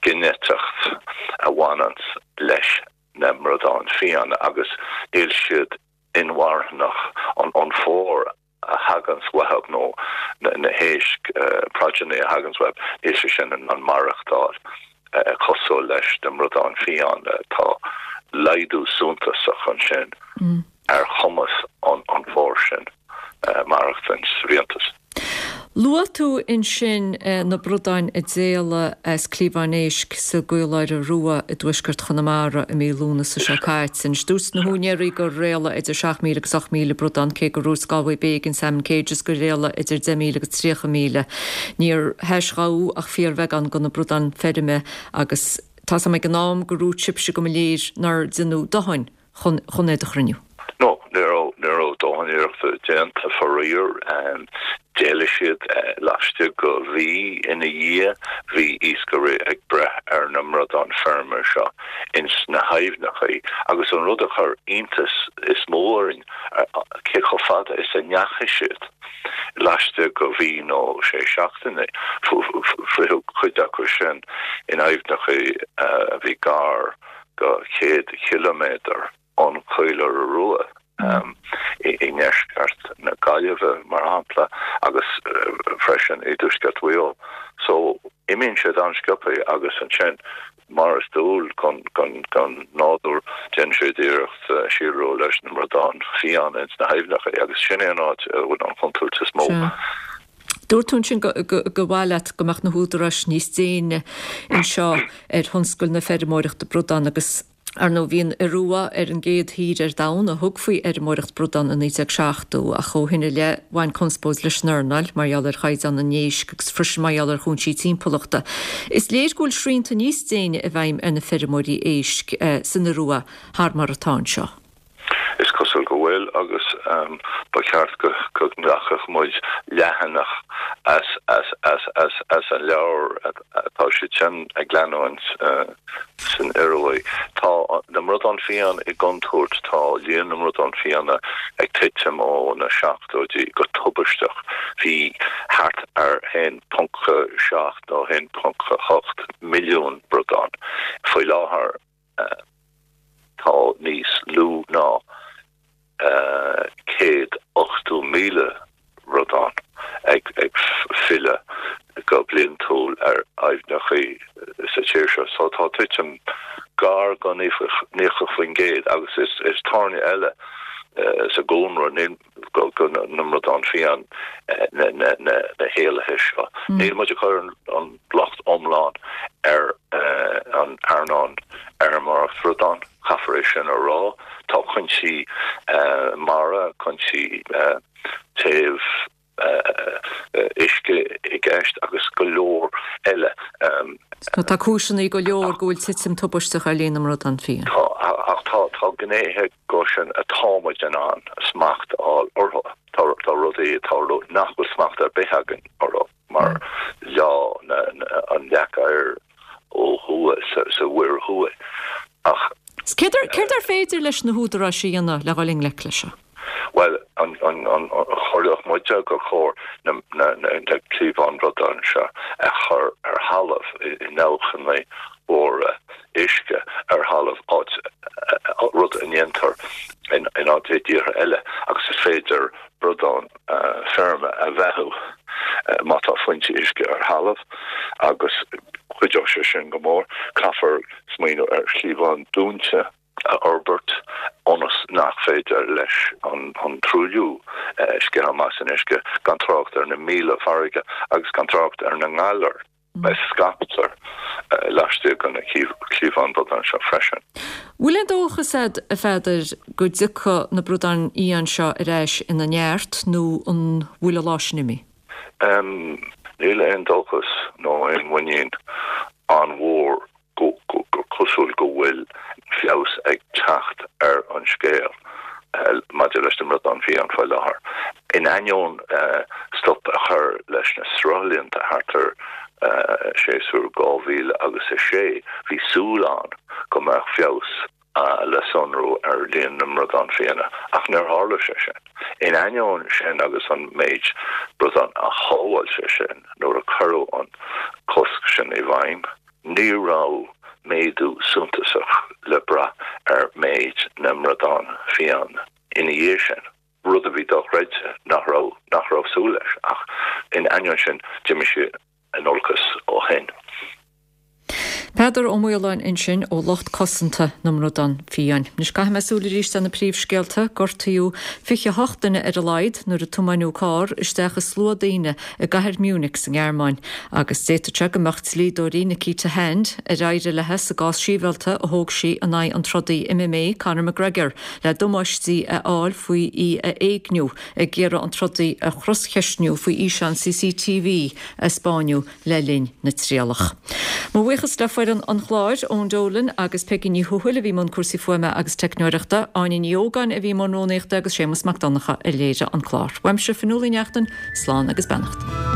ghineiteacht a bhaineanns leis na mbradáin fiáin agus níl siad inmharthanach an phór a thaganns uathu nó na héisc progeny a thaganns uathu, níl sé sin in ann maireachtáil cosúil leis na mbradáin fiáin. Tá laghdú suntasach ansin ar chumas an phóir sin maireachtaint sa bhfiántas. Luaigh tú ansin na bradáin a d'éalaigh as cliabhán éisc sa gCaoláire Rua i dtuaisceart Chonamara i mí Lúnasa seo caite. Anois, dúirt na húinéirí gur éalaigh idir seacht míle agus ocht míle bradán, cé gur dhúirt Galway Bay ag an Salmon Cages gur éalaigh idir deich míle agus tríocha míle. Níor aisghabhadh ach fíorbheagán de na bradáin feirme agus tá's agam ag an am gur dhúirt sibhse go mba léir nár deineadh dóthain chun chun iad a chruinniú. No, ní raibh, ní raibh dóthain iarrachta déanta, faraor. D'éalaigh siad laistigh de mhí ina dhiaidh. Bhí iascairí ag breith ar na mbradáin feirme seo ins na haibhneacha agus an rud a chuir iontas is mó orainn cé chomh fada is a ndeachaigh siad. Laistigh de mhí nó sé seachtaine, fritheadh cuid acu sin in aibhneacha a bhí gar go céad chiliméadar ón Chaoláire Rua i ndeisceart na Gaillimhe, mar shampla, agus freisin i dtuaisceart Mhaigh Eo. So, imíonn siad an-sciobtha agus ansin, mar is dual don nádúr, déanann siad iarracht síolrú leis na bradáin fiáin ins na haibhneacha agus sin é an áit a bhfuil an chontúirt is mó. Dúirt tú ansin gur mhaith leat go mbeadh na húdaráis níos déine anseo ar thionscal na feirmeoireachta bradán agus ar ndóigh bhí an Iorua ar an gcéad thír ar domhan a thug faoi fheirmeoireacht bradán i naoi déag seachtó ach ó shin i leith bhain conspóid leis an earnáil mar gheall ar chaighdeán an éisc agus freisin mar gheall ar chúinsí timpeallachta. Is léir go bhfuil srianta níos déine i bhfeidhm ar na feirmeoirí éisc san Iorua thar mar atá anseo. Is cosúil go bhfuil agus ba cheart go nglacfadh muid leathanach as an leabhar atá siad sin ag leanúint san Ioruaidh. Tá na mbradáin fiáin i gcontúirt, tá líon na mbradán fiáine ag titim ó na seachtóidí go tubaisteach. Bhí thart ar haon ponc seacht nó haon ponc hocht milliún bradán faoi láthair. Tá níos lú ná céad ochtó míle bradán ag filleadh go bliantúil ar aibhneacha sa tír seo. So tá titim gar go naocha faoin gcéad agus is tairne eile sa gcónra, níl go go na mbradán fiáin na héalaithe seo. Níl muid ag cur an locht iomlán ar an earnáil fheirmeoireacht bradán, caithfear é sin a rá. Tá cúinsí mara, cúinsí téamh uisce i gceist agus go leor eile. Tá cúiseanna go leor go bhfuil titim tubaisteach ar líon na mbradán fiáin. Tá, ach tá tá gnéithe go sin atá muid in ann smacht a fháil orthu. Tá tá rudaí ag tarlú nach bhfuil smacht ar bith againn orthu mar leá na an leac oighir ó thuaidh sa sa Mhuir Thuaidh. Ach. Céard ar féidir leis na húdaráis a dhéanamh le dhul i ngleic leis seo? Bhuel, an chomhairleodh muide gur chóir na na cliabháin bradán seo a chur ar thalamh i ndabhchanna móra uisce ar thalamh, áit, rud a ndéantar in áit i dtíortha eile agus is féidir bradán feirme a bheathú má tá foinse uisce ar thalamh agus chuideodh sé sin go mór. Caithfear smaoineamh ar chliabháin dúnta a fhorbairt ionas nach féidir leis an truailliú sceitheadh amach san uisce, gan trácht ar na míola farraige agus gan trácht ar na ngalair a scaiptear laistigh de na cliabháin bradán seo freisin. Bhfuil aon dóchas agat, a Pheadair, go dtiocfaidh na bradáin fhiáin seo ar ais ina neart nó an bhfuil a lá sin imithe? Níl aon dóchas nó aon mhuinín an-mhór gur cosúil go bhfuil feabhas ag teacht ar an scéal maidir leis na mbradáin fiáin faoi láthair. In ainneoin stop a chur leis na sruthlíonta thart ar séasúr dhá mhíle agus a sé, bhí súil ann go mbeadh feabhas le sonrú ar líon na mbradán fiáin, ach níor tharla sé sin. In ainneoin sin agus an méid bradán a shábháil sé sin nuair a cuireadh an cosc sin i bhfeidhm, ní raibh méadú suntasach le brath ar mhéid na mbradán fiáin ina dhiaidh sin, rud a bhí dochreidte, nach raibh nach raibh súil leis, ach in ainneoin sin d'imigh sé in olcas ó shin. Peadar Ó Maoláin ansin ó lucht cosanta na mbradán fiáin. Anois caithfidh mé súil arís ar na príomhscéalta. Gortaíodh fiche a hocht duine ar a laghad nuair a tiomáineadh carr isteach i slua daoine i gcathair Munich sa nGearmáin agus d'fhéadfadh sé go mbeadh dlíodóirí Nikita Hand, ar éirigh léi sa gcás sibhialta a thóg sí in aghaidh an trodaí MMA Conor McGregor le damáistí a fháil faoi í a éigniú, ag iarraidh an trodaí a chroscheistniú faoi fhíseán C C T V a 'spáineadh le linn na trialach. Mo bhuíochas le foireann an chláir, Eoin Dolan agus Peigí Ní Thuathail a bhí i mbun cúrsaí fuaime agus teicneoireachta, Áine Ní Ógáin a bhí i mbun rúnaíochta agus Séamus Mac Donncha a léirigh an clár. Uaimse, Fionnuala Ní Neachtain, slán agus beannacht.